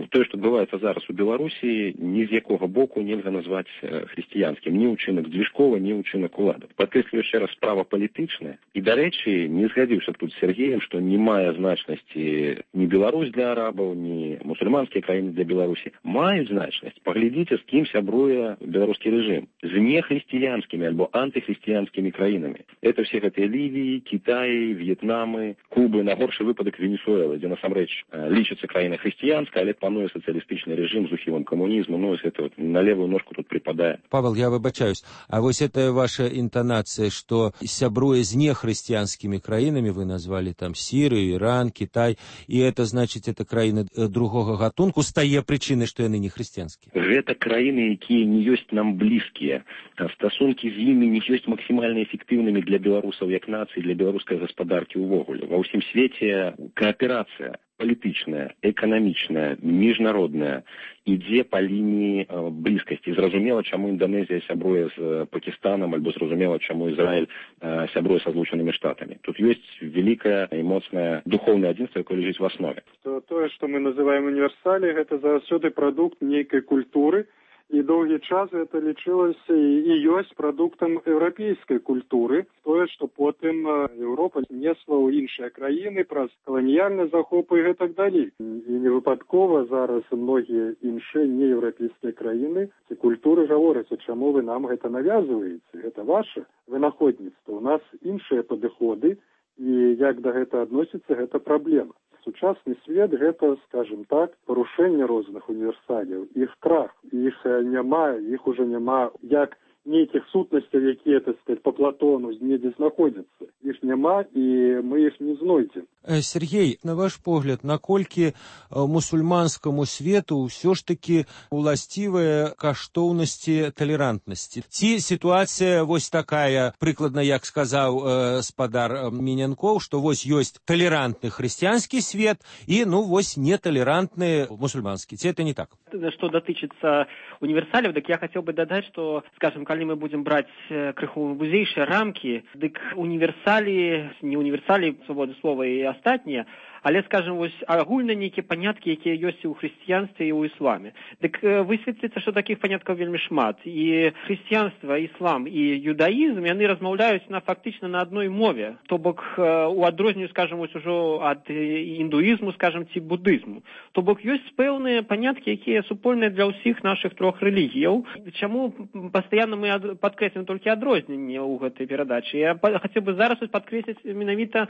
Тое, што адбываецца зараз у Беларусі, ні з якога боку нельга назваць хрысціянскім. Ні ўчынак Дзвіжкова, ні ўчынак уладаў. Падкрэслю яшчэ раз, справа палітычная. І, дарэчы, не згадзіўся тут з Сергеем, што не мае значнасці ні Беларусь для арабаў, ні мусульманскія краіны для Беларусі. Маюць значнасць. Паглядзіце, з кім сябруе беларускі рэжым. З нехрысціянскімі альбо антыхрысціянскімі краінамі. Это все гэтыя Лівіі, Кітаі, В'етнамы, Кубы, на горшы выпадак Венесуэлы, дзе насамрэч лічыцца краіна хрысціянская, але пануе сацыялістычны рэжым з ухілам камунізму. Ну, ось это вот на левую ножку тут припадае. Павел, я выбачаюсь. А вось это ваша інтанацыя, што сябруе з нехрысціянскімі краінамі, вы назвалі там Сірыю, Іран, Кітай, і это значыць, это краіны другога гатунку, стае прычынай, што яны не хрысціянскія. Гэта краіны, якія не ёсць нам блізкія. Стасункі з імі не ёсць максімальна эфектыўнымі для беларусаў як нацыі, для беларускай гаспадаркі ўвогуле. Ва ўсім свеце кааперацыя палітычная, эканамічная, міжнародная ідзе па лініі блізкасці. Зразумела, чаму Інданезія сябруе з Пакістанам, альбо зразумела, чаму Ізраіль сябруе са Злучанымі Штатамі. Тут ёсць вялікае і моцнае духоўнае адзінства, якое ляжыць в аснове. Тое, што мы называем універсалі, гэта заўсёды прадукт нейкай культуры, і доўгі час гэта лічылася і ёсць прадуктам еўрапейскай культуры. Тое, што потым Еўропа несла ў іншыя краіны праз каланіяльны захоп і гэтак далей. І не выпадкова зараз многія іншыя нееўрапейскія краіны ці культуры гавораць, чаму вы нам гэта навязваеце? Гэта ваше вынаходніцтва. У нас іншыя падыходы, і як да гэта адносіцца, гэта праблема. Сучасны свет гэта, скажем так, парушэнне розных універсалів, іх крах, іх няма, іх уже няма як нейкіх сутнасцяў, якія, так сказать, по Платону недзе знаходзяцца. Іх няма, і мы іх не знойдзем. Сергей, на ваш погляд, наколькі мусульманскаму свету ўсё ж таки уласцівыя каштоўнасці талерантнасці? Ці сітуацыя вось такая, прыкладна, як сказаў э, спадар Мінянкоў, што вось ёсць талерантны хрысціянскі свет і, ну, вось неталерантны мусульманскі. Ці это не так? Што датычыцца універсалів, дык я хацеў бы дадаць, што, скажем, калі мы будзем браць крыху вузейшыя рамкі, дык універсалі, не універсалі, свабоды слова і астатнія, але, скажем, вось агульна нейкія паняткі, якія ёсць і ў хрысціянстве, і ў ісламе. Дык высветліцца, што такіх паняткаў вельмі шмат. І хрысціянства, іслам і юдаізм, яны размаўляюць на фактычна на адной мове. То бок у адрозненню, скажем, вось ужо ад індуізму, скажем, ці будызму. То бок ёсць пэўныя паняткі, якія супольныя для ўсіх нашых трох рэлігіяў. Чаму пастаянна мы падкрэслім толькі адрозненне ў гэтай перадачы? Я хацеў бы зараз падкрэсліць менавіта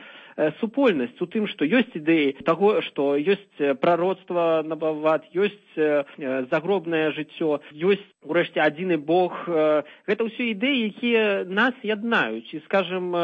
супольнасць у тым, што ёсць ідэі таго, што ёсць прароцтва набават, ёсць загробнае жыццё, ёсць, урэшце, адзіны Бог. Гэта ўсё ідэі, якія нас яднаюць. І, скажем,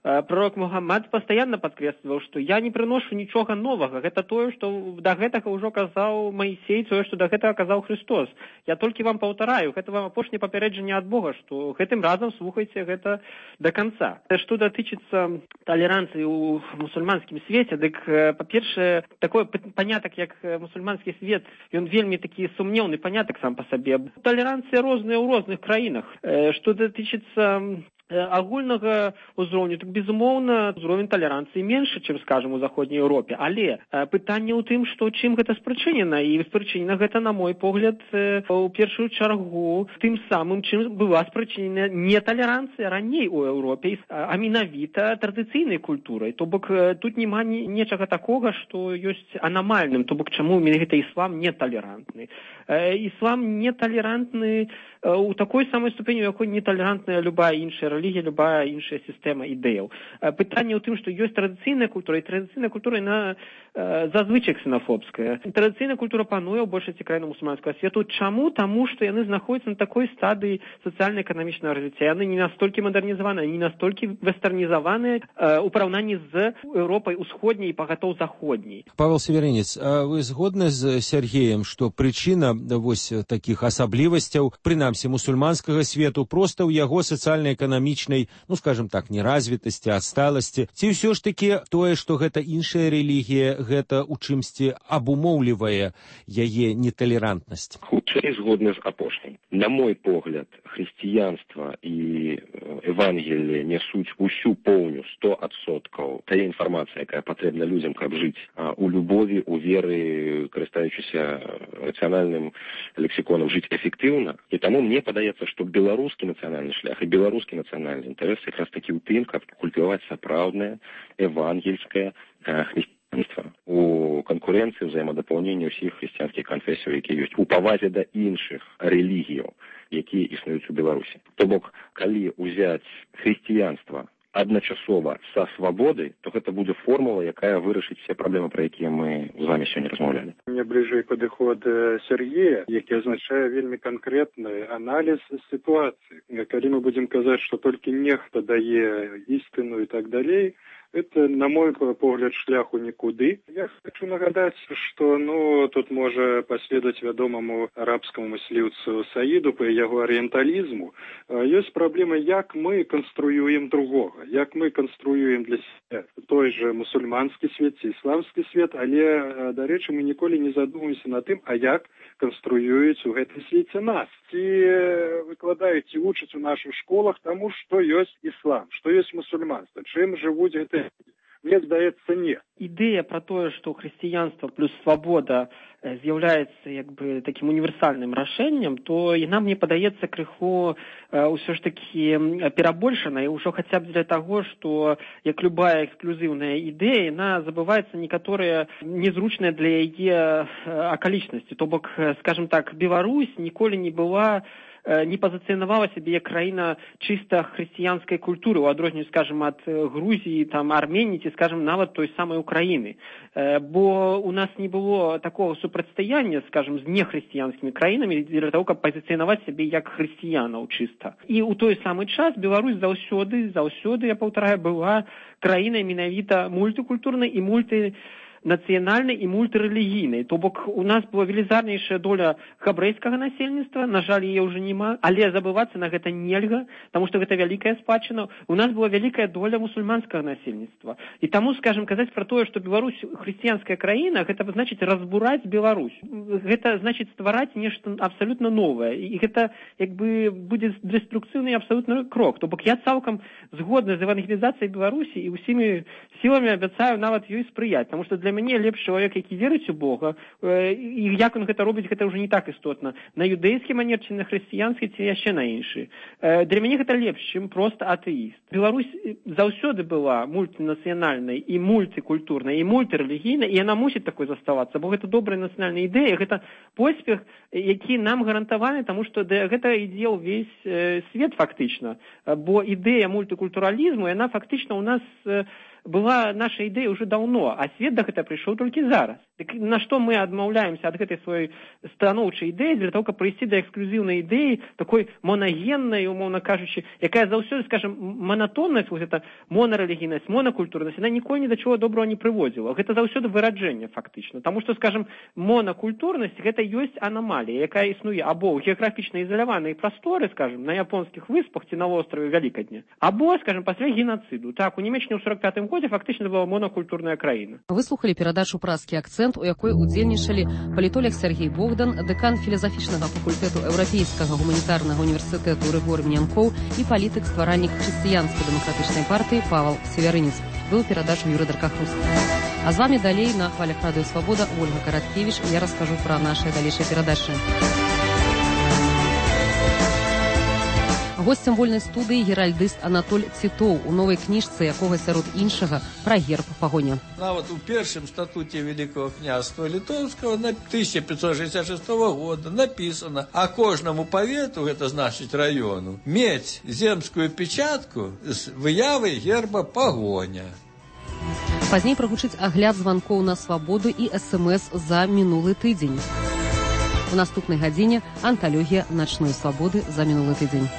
пророк Мухаммад пастаянна падкрэсліваў, што я не прыношу нічога новага. Гэта тое, што да гэтага ўжо казаў Маісей, тое, што да гэтага казаў Христос. Я толькі вам паўтараю, гэта вам апошняе папярэджанне ад Бога, што гэтым разам слухайце гэта да канца. Што датычыцца талеранцыі ў мусульманскім свеце, дык, па-першае, такое панятак, як мусульманскі свет, ён вельмі такі сумнеўны панятак сам па сабе. Талеранцыя розная ў розных краінах. Што датычыцца агульнага ўзроўню, так, безумоўна, ўзровень талеранцыі меншы, чым, скажем, у заходняй Еўропе. Але пытанне ў тым, што чым гэта спрычынена, і спрычынена гэта, на мой погляд, у першую чаргу тым самым, чым была спрычынена неталеранцыя раней у Еўропе, а менавіта традыцыйнай культурай. То бок тут няма нечага такога, што ёсць анамальным, то бок чаму менавіта іслам неталерантны. Іслам неталерантны у такой самай ступені, у якой неталерантная любая іншая рэлігія, любая іншая сістэма ідэяў. Пытанне ў тым, што ёсць традыцыйная культура, і традыцыйная культура, яна зазвычай ксенафобская. Традыцыйная культура пануе ў большасці краін мусульманскага свету. Чаму? Таму, што яны знаходзяцца на такой стадыі сацыяльна-эканамічнага развіцця. Яны не настолькі мадэрнізаваныя, не настолькі вестэрнізаваныя ў параўнанні з Еўропай усходняй і пагатоў заходняй. Павел Северинец, а вы згодны з Сергеем, што прычына вось такіх асаблівасцяў, прынамсі мусульманскага свету, проста ў яго сацыяльна-эканамічнай, ну, скажем так, неразвітасці, адсталасці? Ці ўсё ж такі тое, што гэта іншая рэлігія, гэта ў чымсьці абумоўлівае яе неталерантнасць? Хутчэй згодны з апошняй. На мой погляд, хрысціянства і Евангелие несуць усю поўню сто адсоткаў тая інфармацыя, якая патрэбна людзям, каб жыць у любові, у веры, карыстаючыся рацыянальным лексіконам, жыць эфектыўна. І таму мне падаецца, што беларускі нацыянальны шлях і беларускі нацыянальны інтарэс якраз такі ў тым, каб культываваць сапраўднае евангельскае хрысціянства у канкурэнцыі, взаемадапаўненні ўсіх хрысціянскіх канфесіяў, якія ёсць, у павазе да іншых рэлігіяў, якія існуюць у Беларусі. То бок, калі ўзяць хрысціянства адначасова са свабодай, то гэта будзе формула, якая вырашыць все праблемы, пра якія мы з вами сёння размаўлялі. Мне бліжэй падыход Сергея, які азначае вельмі канкрэтны аналіз сітуацыі. Калі мы будзем казаць, што толькі нехта дае істыну і так далей, это, на мой погляд, шляху нікуды. Я хочу нагадаць, што ну, тут можа паследаваць вядомаму арабскаму мысліўцу Саіду па яго арыенталізму. Ёсць праблема, як мы канструюем другога, як мы канструюем для сябе той же мусульманскі свет ці ісламскі свет, але, дарэчы, мы ніколі не задумаемся над тым, а як канструююць у гэтым свеце нас. Ці выкладаюць, ці вучаць у нашых школах таму, што ёсць іслам, што ёсць мусульманства, чым жывуць гэтыя. Мне здаецца, нет. Ідэя пра тое, што хрысціянства плюс свабода з'яўляецца як бы такім універсальным рашэннем, то яна, мне падаецца, крыху ўсё ж такі перабольшана, і ўжо хаця б для таго, што як любая эксклюзіўная ідэя, яна забываецца некаторыя незручныя для яе акалічнасці. То бок, скажем так, Беларусь ніколі не была не пазіцыянавала сябе як краіна чыста хрысціянскай культуры, у адрозненні, скажем, ад Грузіі, там, Арменіі, ці, скажем, нават той самай Украіны. Бо у нас не было такого супрацьстаяння, скажем, з нехрысціянскімі краінамі для того, каб пазіцыянаваць сябе як хрысціянаў чыста. І ў той самы час Беларусь заўсёды, заўсёды, я паўтараю, была краінай менавіта мультыкультурнай і мульты нацыянальнай і мультырэлігійнай. То бок у нас была велізарнейшая доля габрэйскага насельніцтва, на жаль, яе ўжо няма, але забывацца на гэта нельга, таму што гэта вялікая спадчына. У нас была вялікая доля мусульманскага насельніцтва. І таму, скажем, казаць пра тое, што Беларусь хрысціянская краіна, гэта значыць разбураць Беларусь. Гэта значыць ствараць нешта абсалютна новае. І гэта як бы будзе дэструкцыйны абсалютны крок. То бок я цалкам згодна з евангелізацыяй Беларусі і ўсімі сіламі абяцаю нават ёй спрыяць, таму што для мяне лепш чалавек, які верыць у Бога, і як он гэта робіць, гэта ўжо не так істотна. На юдэйскі манер, ці на хрысціянскі, ці яшчэ на іншы. Для мяне гэта лепш, чым проста атэіст. Беларусь заўсёды была мультынацыянальнай і мультыкультурнай, і мультырэлігійнай, і яна мусіць такой заставацца, бо гэта добрая нацыянальная ідэя, гэта поспех, які нам гарантаваны, таму што гэта ідзе ўвесь свет фактычна. Бо ідэя мультыкультуралізму, яна фактычна ў нас была наша ідэя ўжо даўно, а свет да гэта прыйшоў толькі зараз. Дык на што мы адмаўляемся ад гэтай сваёй станоўчай ідэі для того, каб прыйсці да эксклюзіўнай ідэі, такой монагеннай, умоўна кажучы, якая заўсёды, скажем, манатоннасць, вот гэта монарэлігійнасць, монакультурнасць, яна ніколі ні да чого доброго не прыводзіла. Гэта заўсёды выраджэнне, фактычна. Таму што, скажем, монакультурнасць гэта ёсць анамалія, якая існуе або ў геаграфічна ізаляванай прасторы, скажем, на японскіх выспах ці на востраве Вялікадня, або, скажем, пасля генацыду. Так, у Нямеччыне ў сорок пятым годзе фактычна была монакультурная краіна. Вы слухалі перадачу «Празкі акцэнт», у якой удзельнічалі палітолог Сергей Богдан, дэкан філазафічнага факультэту Еўрапейскага гуманітарнага універсітэту Рыгор Мінянкоў і палітык-стваральнік хрысціянска-дэмакратычнай партыі Павал Севярынец. Быў перадачу Юрый Даркахрус. А з вами далей на хвалях Радыё Свабода Ольга Караткевіч. Я раскажу пра нашыя далейшыя перадачы. Госцем вольнай студыі геральдыст Анатоль Цітоў у новай кніжцы, якога сярод іншага пра герб пагоня. Нават у першым статуце Великого княства Литовского на тысяча пятьсот шестьдесят шестого года написано, а кожнаму павету, гэта значыць раёну, мець земскую печатку з выявай герба пагоня. Пазней прагучыць агляд званкоў на свабоду і эс-эм-эс за мінулы тыдзень. У наступнай гадзіне анталогія начной свабоды за мінулы тыдзень.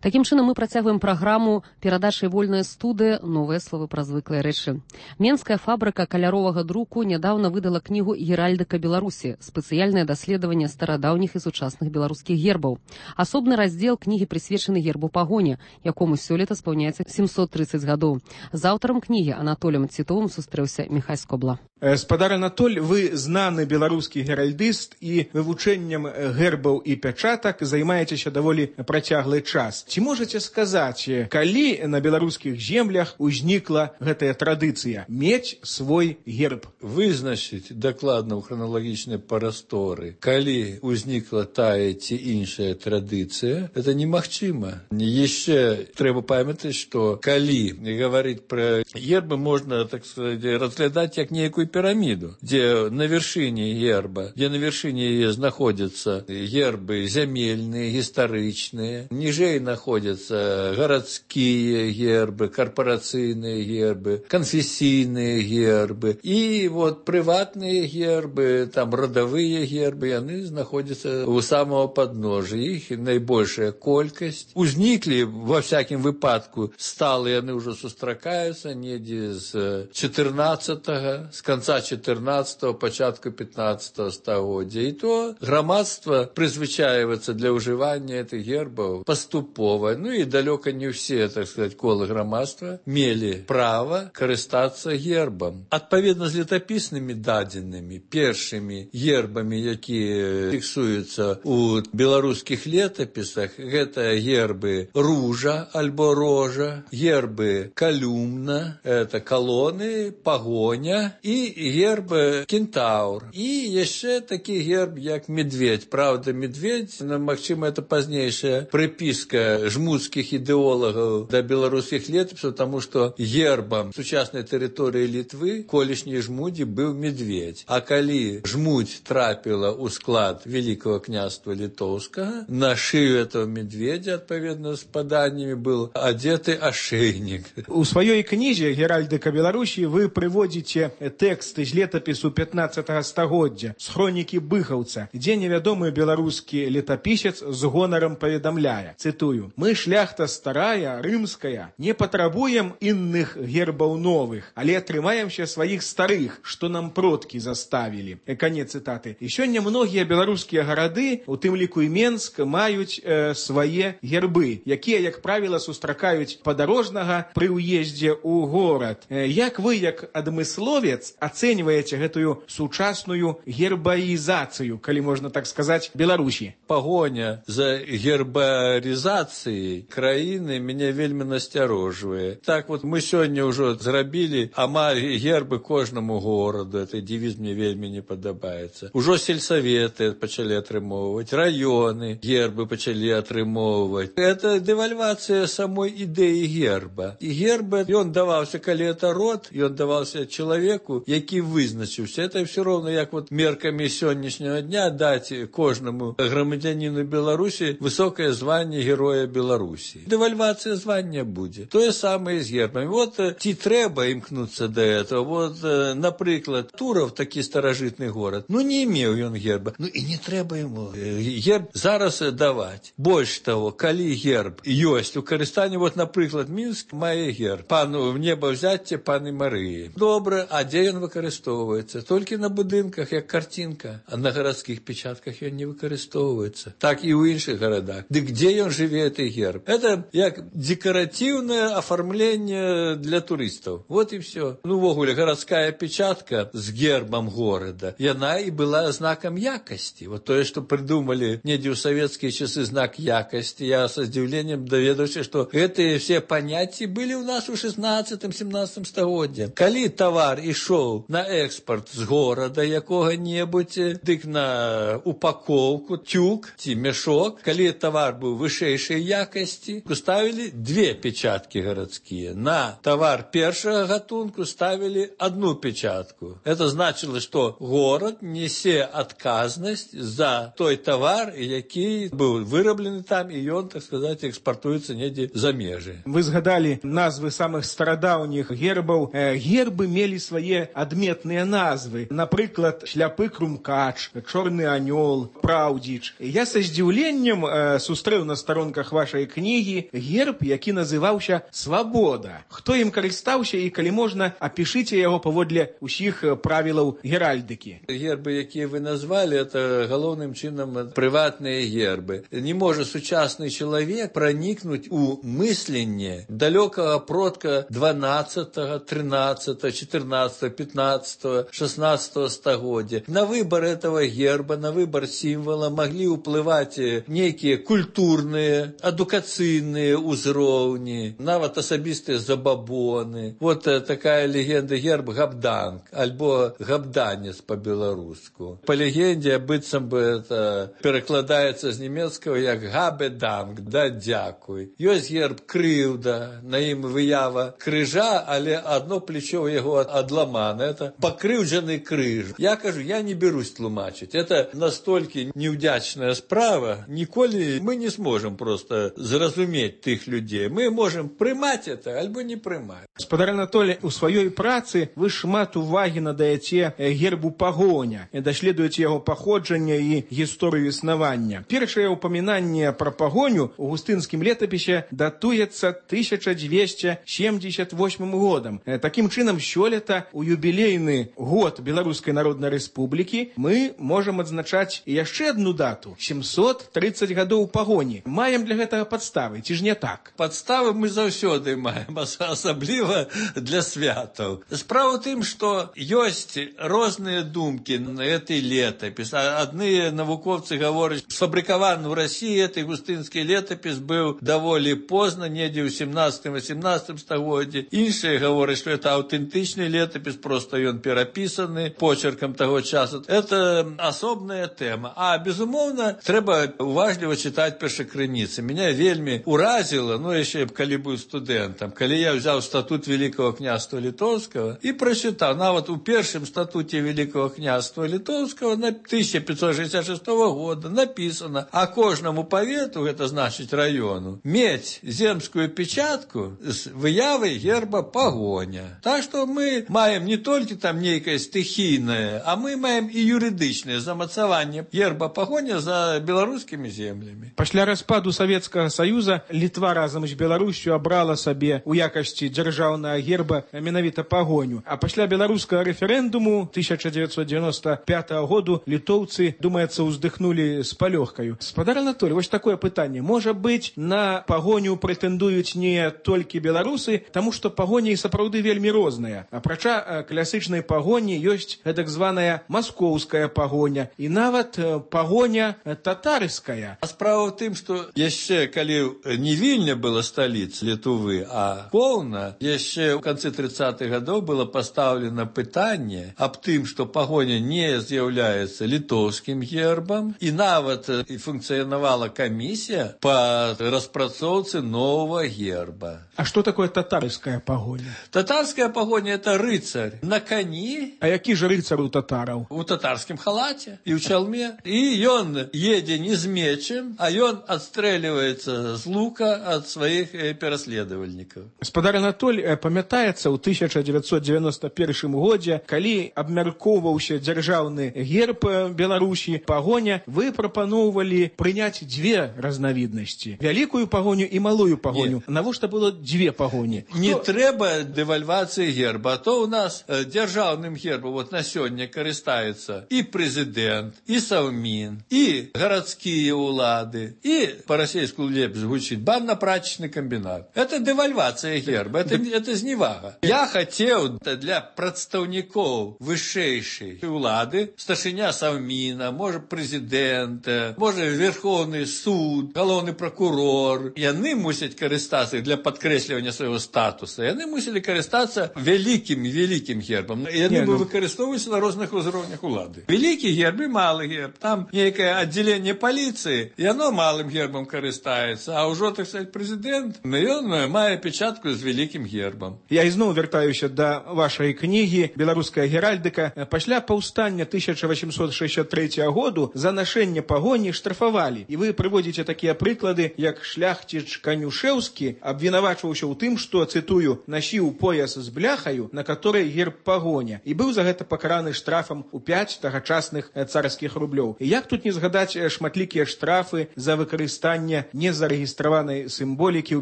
Такім чынам мы працягваем праграму перадачы «Вольная студыя. Новыя словы пра звыклыя рэчы». Менская фабрыка каляровага друку нядаўна выдала кнігу «Геральдыка Беларусі. Спецыяльнае даследаванне старадаўніх і сучасных беларускіх гербаў». Асобны раздзел кнігі прысвечаны гербу пагоня, якому сёлета спаўняецца семьсот тридцать гадоў. З аўтарам кнігі Анатолем Цітовым сустрэўся Міхась Скобла. Спадар Анатоль, вы знаны беларускі геральдыст і вывучэннем гербаў і пячатак займаецеся даволі працяглы час. Ці можаце сказаць, калі на беларускіх землях узнікла гэтая традыцыя мець свой герб? Вызначыць дакладна ў храналагічнай прасторы, калі узнікла тая ці іншая традыцыя, это немагчыма. Яшчэ трэба памятаць, што калі гаварыць пра гербы, можна, так сказать, разглядаць як нейкую пирамиду, где на вершине герба, где на вершине ее находятся гербы земельные, историчные, ниже находятся городские гербы, корпорацийные гербы, конфессийные гербы, и вот приватные гербы, там родовые гербы, они находятся у самого подножия, их наибольшая колькость. Узникли, во всяком выпадку, сталые они уже сустракаются, неде с четырнадцатого, с конца четырнадцатого, початку пятнадцатого стагоддзя. И то громадство призвычаивается для уживания этих гербов поступово. Ну и далеко не все, так сказать, колы громадства мели право карыстаться гербом. Отповедно с летописными даденными, першими гербами, які фиксуются у белорусских летописах, это гербы ружа альбо рожа, гербы колюмна, это колонны, погоня и герб кентаур. И еще такий герб, як медведь. Правда, медведь, магчыма, это пазнейшая приписка жмутских идеологов до белорусских летописов, потому что гербом сучасной территории Литвы колішняй жмуди был медведь. А калі жмуть трапила у склад Великого княжества Литовского, на шею этого медведя, отповедно с поданиями, был одетый ошейник. У своей книзе «Геральдыка Беларусі» вы приводите текст з летапісу пятнадцатага стагоддзя з хронікі быхаўца, дзе невядомы беларускі летапісец з гонарам паведамляе, цытую: «Мы, шляхта старая, рымская, не патрабуем інных гербаў новых, але трымаемся сваіх старых, што нам продкі заставілі». Канец цытаты. І сёння многія беларускія гарады, у тым ліку і Менск, маюць э, свае гербы, якія, як правіла, сустракаюць падарожнага пры ўездзе ў горад. Э, як вы, як адмысловец, ацэньваеце гэтую сучасную гербаізацыю, калі можна так сказаць, Беларусі? Погоня за гербаризацией краіны мяне вельмі насцярожвае. Так вот, мы сёння ўжо зрабілі амаль гербы кожнаму гораду. Это девиз мне вельмі не падабаецца. Ужо сельсаветы пачалі атрымоўваць, раёны гербы пачалі атрымоўваць. Это дэвальвацыя самой ідэі герба. І герб, ён даваўся, калі это род, ён даваўся чалавеку, які вызначыўся. Это все равно, як вот мерками сённяшняга дня даць кожнаму грамадзяніну Беларусі высокое званне Героя Беларусі. Девальвация звання будзе. То же самое с гербами. Вот ці трэба імкнуцца до этого. Вот, напрыклад, Туров, такі старажытны город, ну не имеў ён герба. Ну и не трэба ему герб зараз даваць. Больш того, калі герб ёсць у карыстанні, вот, напрыклад, Мінск мае герб. Пану небаўзяцце паны Марыі. Добра, а дзе ён выкарыстоўваецца? Толькі на будынках, як картинка. А на гарадскіх печатках ён не выкарыстоўваецца. Так і ў іншых гарадах. Дык где ён жыве, гэты герб? Это як декоративное оформление для туристов. Вот и все. Ну, вогуле, городская печатка с гербом города, яна и была знаком якости. Вот то, что придумали недзе ў советские часы знак якости, я с удивлением доведаўся, что эти все понятия были у нас у шестнадцатым-семнадцатым стагоддзе. Калі товар ішоў на экспорт з города якога-небудзь, дык на упаковку, тюк ці мешок, калі товар быў вышэйшай якасці, ставілі две печатки городские. На товар першага гатунку ставілі одну печатку. Это значило, что город несе адказнасць за той товар, які быў выраблены там, і ён, так сказать, экспортуецца недзе за межы. Вы згадалі назвы самых старадаўніх гербаў. Гербы мелі свае адметныя назвы. Напрыклад, шляпы крумкач, чорны анёл, праўдзіч. Я са здзіўленнем э, сустрэў на старонках вашай кнігі герб, які называўся «Свабода». Хто ім карыстаўся і, калі можна, апішыце яго паводле ўсіх правілаў геральдыкі. Гербы, якія вы назвалі, это галоўным чынам прыватныя гербы. Не можа сучасны чалавек пранікнуць у мысленне далёкага продка дванаццатага, трынаццатага, чатырнаццатага, пятнаццатага, шестнадцатага стагоддзя. На выбор этого герба, на выбор сімвала маглі ўплываць нейкія культурныя, адукацыйныя ўзроўні, нават асабістыя забабоны. Вот такая легенда герб Габданг, альбо габданец по-беларуску. По легенде, быццам бы это перакладаецца з нямецкага як Габеданг, да дзякуй. Ёсць герб крыўда, на ім выява крыжа, але одно плечо яго адламана. Это пакрыўджаны крыж. Я кажу, я не берусь тлумачыць. Это настолькі неудзячная справа. Ніколі мы не сможем просто зразумець тых людзей. Мы можем прымаць это, альбо не прымаць. Спадар Анатолій, у сваёй працы вы шмат увагі надаяце гербу пагоня, даследуеце яго паходжання і гісторыю існавання. Першае ўпамінанне пра пагоню у густынскім летапісе датуецца тысяча дзвесце семьдесят восьмым годам. Такім чынам, сёлета у юбілейны год Беларускай Народнай Рэспублікі мы можам адзначаць яшчэ адну дату – сямьсот тридцать гадоў пагоні. Маем для гэтага падставы, ці ж не так? Падставы мы заўсёды маем, асабліва для святаў. Справа ў тым, што ёсць розныя думкі на гэтай летапіс. Адны навукоўцы гавораць, сфабрыкаваны ў Расіі гэты густынскі летапіс быў даволі позна, недзе ў сямнаццатым-восемнаццатым стагоддзі. Іншыя гавораць, што это аўтэнтычны летапіс, просто ён перапісаны почеркам таго часу. Это асобная тэма. А, безумоўна, трэба уважліва чытаць першакрыніцы. Меня вельмі уразіла, ну, яшчэ калі быў студэнтам, калі я взяў статут Великого княства Литовского и прочитал, нават у першым статуте Великого княства Литовского на тысяча пятьсот шестьдесят шестого года написано, а кожнаму павету, это значит району, мець земскую печатку с выявай герба пагоня. Так что мы маем не только там нейкае стихійнае, а мы маем і юрыдычнае замацаванне герба пагоня за беларускімі землямі. Пасля распаду Савецкага Саюза Літва разам з Беларусю абрала сабе у якасці дзяржаўнага герба менавіта пагоню. А пасля беларускага рэферэндуму тысяча девятьсот девяносто пятого году літоўцы, думаецца, уздыхнулі з палёгкаю. Спадар Анатолій, вось такое пытанне. Можа быць, на пагоню прэтэндуюць не толькі беларусы, таму што пагоня і сапраўды вельмі розная. Апрача класычнай пагоні ёсць гэтак званая маскоўская пагоня і нават пагоня татарская. А справа ў тым, што яшчэ калі не Вільня была сталіца Літвы, а Полна, яшчэ ў канцы тридцатых гадоў было пастаўлена пытанне аб тым, што пагоня не з'яўляецца літоўскім гербам, і нават і функцыянавала камісія па распрацоўцы новага герба. А што такое татарская пагоня? Татарская пагоня – это рыцарь на коні. А які ж рыцар у татараў? У татарскім халаце і ў чалме. І ён едзе не з мечем, а ён адстрэльваецца з лука ад сваіх пераследавальнікаў. Спадар Анатолій, памятаецца, ў тысяча девятьсот девяносто первым годзе, калі абмяркоўваўся дзяржаўны герб Беларусі, пагоня, вы прапаноўвалі прыняць дзве разнавіднасці. Вялікую пагоню і малую пагоню. Навошта было дзве пагоні? Не Хто... трэба дэвальвацыі герба, а то у нас э, дзяржаўным гербам вот на сёння карыстаецца і прэзідэнт, і саўмін, і гарадскія ўлады, і па-расейску лепш гучыць банна-прачечны камбінат. Это дэвальвацыя герба, это, это зневага. Я хацеў для прадстаўнікоў вышэйшай улады, старшыня саўміна, можа прэзідэнт, можа верховны суд, галоўны прокурор, яны мусяць карыстацца для падкрэслівання свайго статуса. Яны мусілі карыстацца вялікім вялікім гербам. Яны бы выкарыстоўваліся на розных узроўнях улады. Вялікі герб і малы герб. Там нейкае аддзяленне паліцыі, яно малым гербам карыстаецца, а ўжо, так сказать, прэзідэнт, ён мае печатку з вялікім гербам. Я ізноў вяртаюся да вашай кнігі «Беларуская геральдыка». Пасля паўстання тысяча восемьсот шестьдесят третьего году за нашэнне пагоні штрафавалі. І вы прыводзіце такія прыклады, як шляхціч Канюшэўскі абвінавачваўся ў тым, што, цытую, насіў пояс з бляхаю, на которой герб герб пагоня і быў за гэта пакараны штрафам у пяць тагачасных царскіх рублёў. І як тут не згадаць шматлікія штрафы за выкарыстанне незарэгістраванай сімволікі ў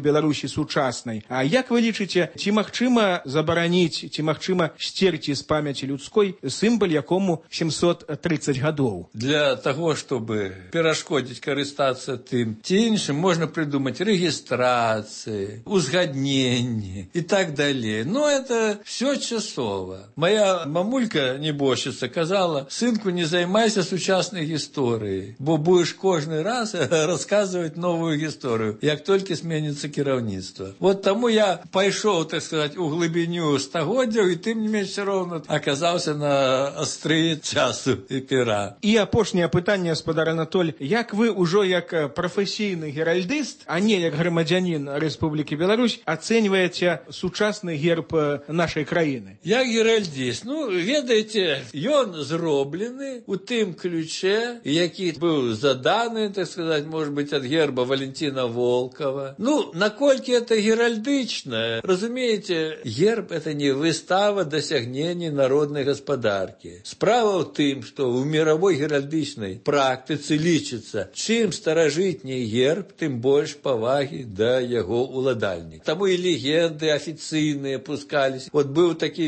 Беларусі сучаснай. А як вы лічыце, ці магчыма забараніць, ці магчыма сцерці з памяці людской сімвал, якому сімсот тридцать гадоў? Для того, чтобы перашкодзіць карыстацца тым ці іншым, можна придумать регистрации, узгоднения и так далее. Но это все часово. Моя мамулька, небожчица, казала: сынку, не займайся сучасной историей, бо будешь каждый раз рассказывать новую историю, як только сменится кіраўніцтва. Вот тому я пошел, так сказать, у глубиню стагоддзяў, и тем не менее все равно оказался на острые часу и пера. И апошняе пытанне, спадар Анатоль, як вы ўжо як прафесійны геральдыст, а не як грамадзянін Рэспублікі Беларусь, ацэньваеце сучасны герб нашай краіны? Як геральдыст, ну, ведаеце, ён зроблены у тым ключе, які быў заданы, так сказать, может быть, ад герба Валентина Волкова. Ну, наколькі это геральдычна? Разумеете, герб — это не выстава дасягнений народной гаспадаркі. Справа ў тым, што ў мировой геральдычнай практыцы лічыцца, чым старажытней герб, тым больш павагі да яго уладальніка. Таму і легенды афіцыйныя пускались. Вот быў такі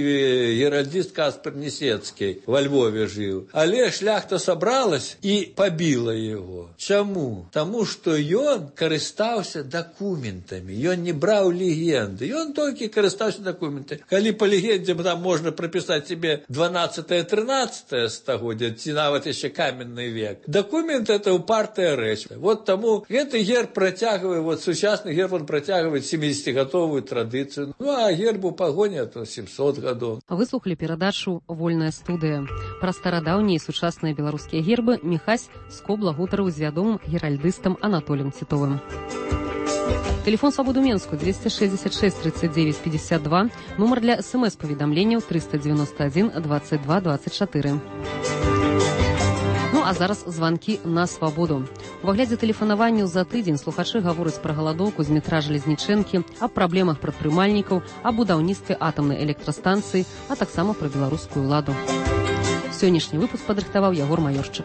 геральдыст Каспар Несецкі, во Львове жыў. Але шляхта сабралась і пабіла яго. Чаму? Таму што ён карыстаўся дакументамі. Ён не браў легенды. Ён толькі карыстаўся дакументамі. Калі па легендзе там можна прапісаць себе дванадцатае-трынаццатае стагоддзя, ці нават яшчэ каменны век. Документ — это упартая рэч. Вот тому гэты герб працягвае, вот сучасны герб, он працягвае семидесятигадовую традыцыю. Ну, а гербу пагоня то семьсот гадоў. Выслухали перадачу «Вольная студыя». Пра старадаўнія і сучасныя беларускія гербы Міхась Скобла гутарыў з вядомым геральдыстам Анатолем Титовым. Телефон «Свободу Менскую» двести шестьдесят шесть тридцать девять пятьдесят два, номер для смс-паведамленняў триста девяносто один двадцать два двадцать четыре. Ну, а зараз звонки на свабоду. У выглядзе тэлефанаванняў за тыдзень слухачы гавораць пра галадоўку з метра Жалезнічэнкі, аб праблемах прадпрымальнікаў, аб будаўніцтве атамнай электрастанцыі, а таксама пра беларускую ўладу. Сённяшні выпуск падрыхтаваў Ягор Маёшчык.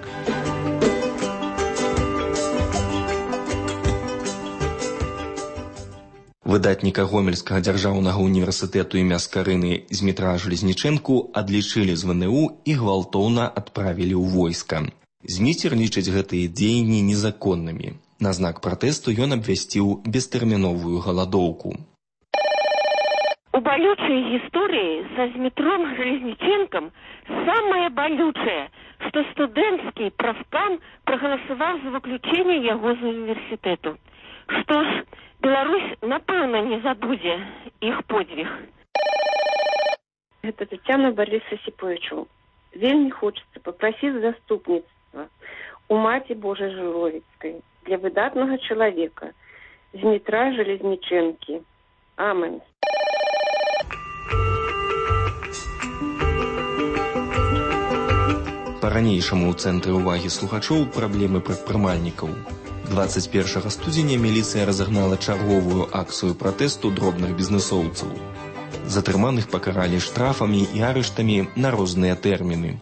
Выдатніка Гомельскага дзяржаўнага універсітэту імя Скарыны Змітра Жалезнічэнку адлічылі з вэ эн у і гвалтоўна адправілі ў войска. Зміцер лічыць гэтыя дзеянні незаконнымі. На знак пратэсту ён абвясціў бестэрміновую галадоўку. У балючай гісторыі са Змітром Жалезнічэнкам самае балючае, што студэнцкі прафкам прагаласаваў за выключэнне яго з універсітэту. Што ж, Беларусь, напэўна, не забудзе іх подзвіг. Это Татьяна Бориса Сиповичу. Вельми хочется попросить заступництва у Маті Божей Жировицкой для выдатного человека Змітра Жалезнічэнкі. Амен. Па-ранейшаму ў цэнтры ўвагі слухачоў праблемы прадпрымальнікаў. двадцать першага студзеня міліцыя разагнала чарговую акцыю пратэсту дробных бізнэсоўцаў. Затрыманых пакаралі штрафамі і арыштамі на розныя тэрміны.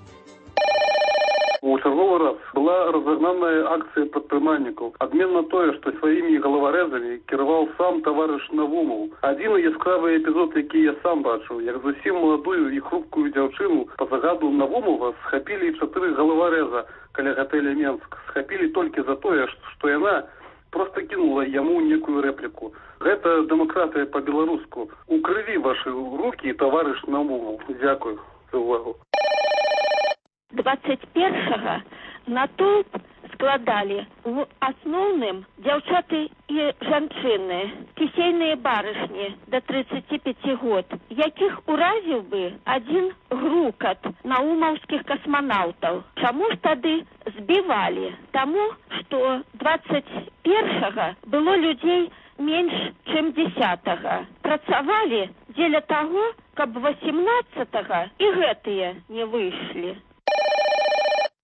У чарговы раз была разогнанная акция предпринимальников. Обмен на то, что своими головорезами кировал сам товарищ Навумов. Один яскравый эпизод, який я сам бачив, як зовсім молодую і хрупкую дівчину по загаду Навумова схопили чотири головореза каля готеля Менск. Схопили только за то, что она просто кинула ему некую реплику. Это демократия по-белоруску. У крови ваши руки, товарищ Навумов. Дякую за увагу. двадцать першага натоўп складалі в асноўным дзяўчаты і жанчыны, кісейныя барышні да тридцати пяти год, якіх уразіў бы адзін грукат наумаўскіх касманаўтаў. Чаму ж тады збівалі? Таму, што двадцать першага было людзей менш, чым дзесятага. Працавалі дзеля таго, каб восемнадцатага і гэтыя не выйшлі.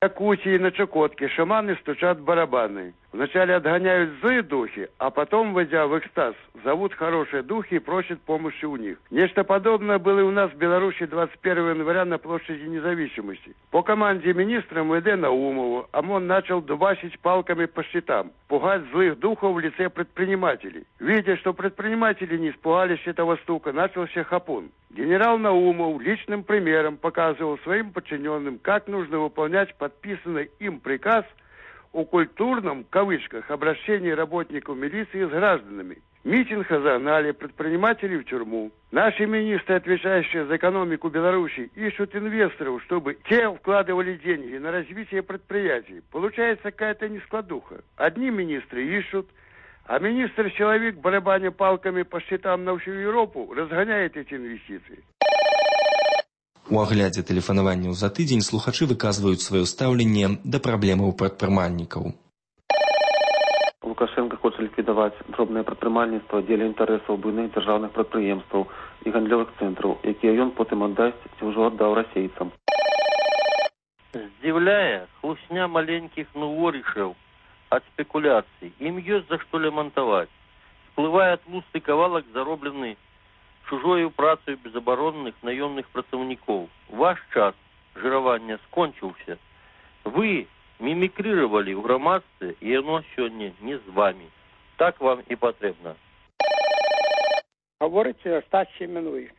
Якутии на Чукотке шаманы стучат барабаны. Вначале отгоняют злые духи, а потом, войдя в экстаз, зовут хорошие духи и просят помощи у них. Нечто подобное было и у нас в Беларуси двадцать первого января на площади Независимости. По команде министра эм вэ дэ Наумову ОМОН начал дубасить палками по щитам, пугать злых духов в лице предпринимателей. Видя, что предприниматели не испугались этого стука, начался хапун. Генерал Наумов личным примером показывал своим подчиненным, как нужно выполнять подписанный им приказ о культурном, в кавычках, обращении работников милиции с гражданами. Митинг разогнали, предпринимателей в тюрьму. Наши министры, отвечающие за экономику Беларуси, ищут инвесторов, чтобы те вкладывали деньги на развитие предприятий. Получается какая-то нескладуха. Одни министры ищут, а министр-человек, барабаня палками по счетам на всю Европу, разгоняет эти инвестиции. У аглядзе тэлефанаванняў за тыдзень слухачы выказваюць сваё стаўленне да праблемаў прадпрымальнікаў. Лукашенко хоча ліквідаваць дробнае прадпрымальніцтва дзеля інтарэсаў буйных дзяржаўных прадпрыемстваў і гандлёвых цэнтраў, якія ён потым аддасць ці ўжо аддаў расейцам. Здзіўляе хлусня маленькіх нуворышаў ад спекуляцый. Ім ёсць за што лямантаваць. Сплывае тлусты кавалак, зароблены чужою працаю безабаронных наёмных працаўнікоў. Ваш час жыравання скончыўся. Вы мімікрировали ў грамадстве, і яно сёння не з вами. Так вам і патрэбна. Гаворыце Стас Семенович.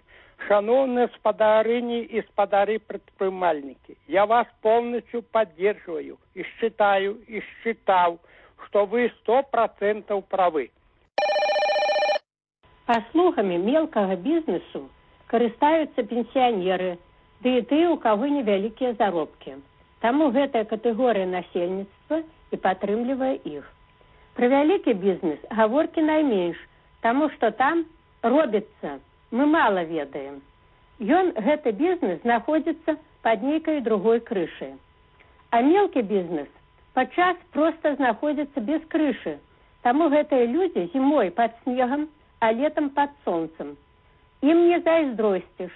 Шановные спадарыни и спадары предпринимальники, я вас полностью поддерживаю и считаю, и считал, что вы сто процентов правы. Паслугамі мелкага бізнесу карыстаюцца пенсіянеры, ды і тыя, у каго невялікія заробкі. Таму гэтая катэгорыя насельніцтва і падтрымлівае іх. Пра вялікі бізнес гаворкі найменш, таму што там робіцца, мы мала ведаем. Ён, гэты бізнес, знаходзіцца пад нейкай другой крышай. А мелкі бізнес падчас проста знаходзіцца без крышы, таму гэтыя людзі зімой пад снегам, а летом под солнцем. Им не зайздросціш.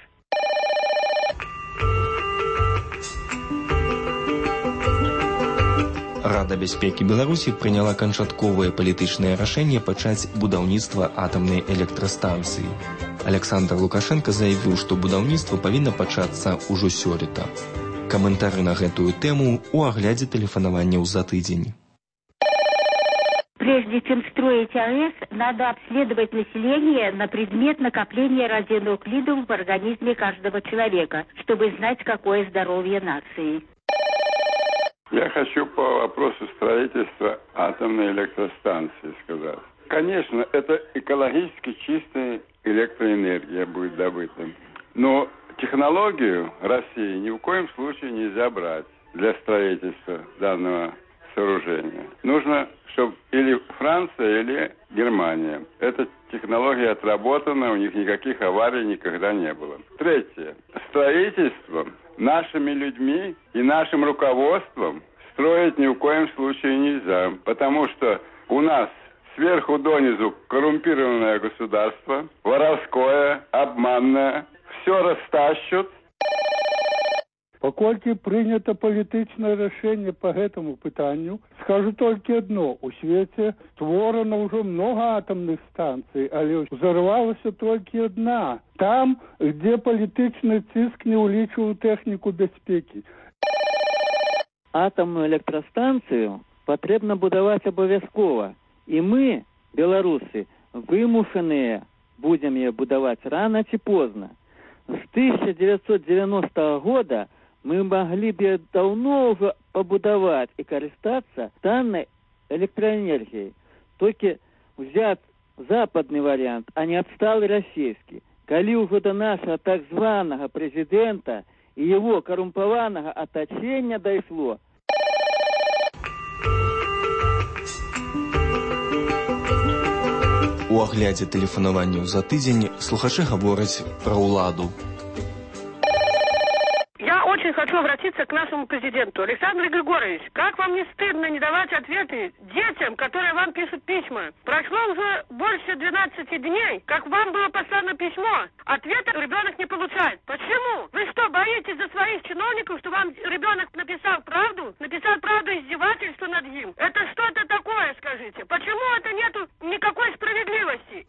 Рада бяспекі Беларусі прыняла канчатковае палітычнае рашэнне пачаць будаўніцтва атамнай электрастанцыі. Александр Лукашенко заявіў, што будаўніцтва павінна пачацца ўжо сёлета. Каментары на гэтую тэму ў аглядзе тэлефанаванняў за тыдзень. Прежде чем строить АЭС, надо обследовать население на предмет накопления радионуклидов в организме каждого человека, чтобы знать, какое здоровье нации. Я хочу по вопросу строительства атомной электростанции сказать. Конечно, это экологически чистая электроэнергия будет добыта. Но технологию России ни в коем случае нельзя брать для строительства данного сооружения. Нужно, чтобы или Франция, или Германия. Эта технология отработана, у них никаких аварий никогда не было. Третье. Строительство нашими людьми и нашим руководством строить ни в коем случае нельзя, потому что у нас сверху донизу коррумпированное государство, воровское, обманное, все растащут. Поколькі прынята палітычнае рашэнне по гэтаму пытанню, скажу толькі адно: у свеце створана ўжо многа атамных станцый, але ўзарвалася толькі адна, там, дзе палітычны ціск не ўлічваў тэхніку бяспекі. Атамную электрастанцыю патрэбна будаваць абавязкова, і мы, беларусы, вымушаныя будзем яе будаваць рана ці позна. З тысяча дзевяцьсот дзевяностага года мы могли бы давно уже побудовать и користаться данной электроэнергией. Только взять западный вариант, а не отсталый российский. Коли уже до нашего так званого президента и его коррумпованного оточения дошло. У аглядзе тэлефанаванняў за тыдзень слухачы гавораць пра ўладу. Я очень хочу хочу обратиться к нашему президенту. Александр Григорьевич, как вам не стыдно не давать ответы детям, которые вам пишут письма? Прошло уже больше двенадцати дней, как вам было послано письмо. Ответа ребенок не получает. Почему? Вы что, боитесь за своих чиновников, что вам ребенок написал правду? Написал правду издевательства над ним? Это что-то такое, скажите. Почему это нету никакой справедливости?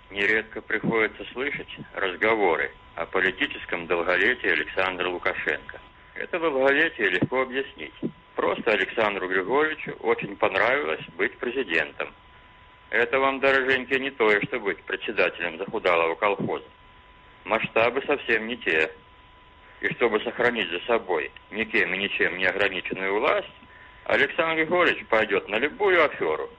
Нередко приходится слышать разговоры о политическом долголетии Александра Лукашенко. Это долголетие легко объяснить. Просто Александру Григорьевичу очень понравилось быть президентом. Это вам, дорогенькие, не то, что быть председателем захудалого колхоза. Масштабы совсем не те. И чтобы сохранить за собой никем и ничем не ограниченную власть, Александр Григорьевич пойдет на любую аферу.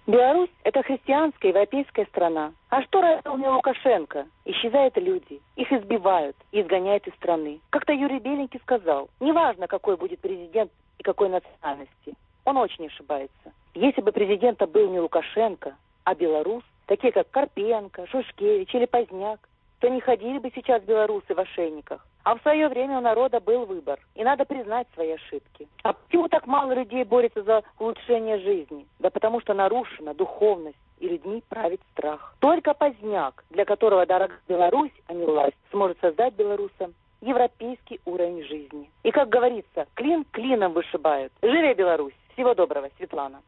Беларусь – это христианская европейская страна. А что родил мне Лукашенко? Исчезают люди, их избивают и изгоняют из страны. Как-то Юрий Беленький сказал, неважно, какой будет президент и какой национальности, он очень ошибается. Если бы президентом был не Лукашенко, а белорус, такие как Карпенко, Шушкевич или Поздняк, то не ходили бы сейчас белорусы в ошейниках. А в свое время у народа был выбор, и надо признать свои ошибки. А почему так мало людей борется за улучшение жизни? Да потому что нарушена духовность, и людьми правит страх. Только Поздняк, для которого дорога Беларусь, а не власть, сможет создать белорусам европейский уровень жизни. И, как говорится, клин клином вышибают. Живи Беларусь! Всего доброго, Светлана.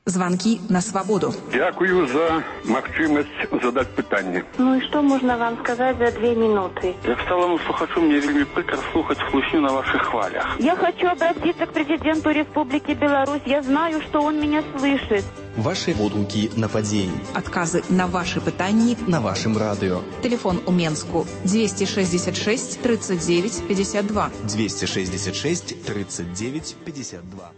Звонки на свободу. Дякую за магчымасць задаць пытанне. Ну и что можно вам сказать за две минуты? Як сталому слухачу, мне вельмі прикро слухаць хлусню на ваших хвалях. Я хочу обратиться к президенту Республики Беларусь. Я знаю, что он меня слышит. Ваши водгукі на падзеі. Адказы на ваши пытанні на вашым радыё. Телефон у Менску двести шестьдесят шесть тридцать девять пятьдесят два. двести шестьдесят шесть тридцать девять пятьдесят два.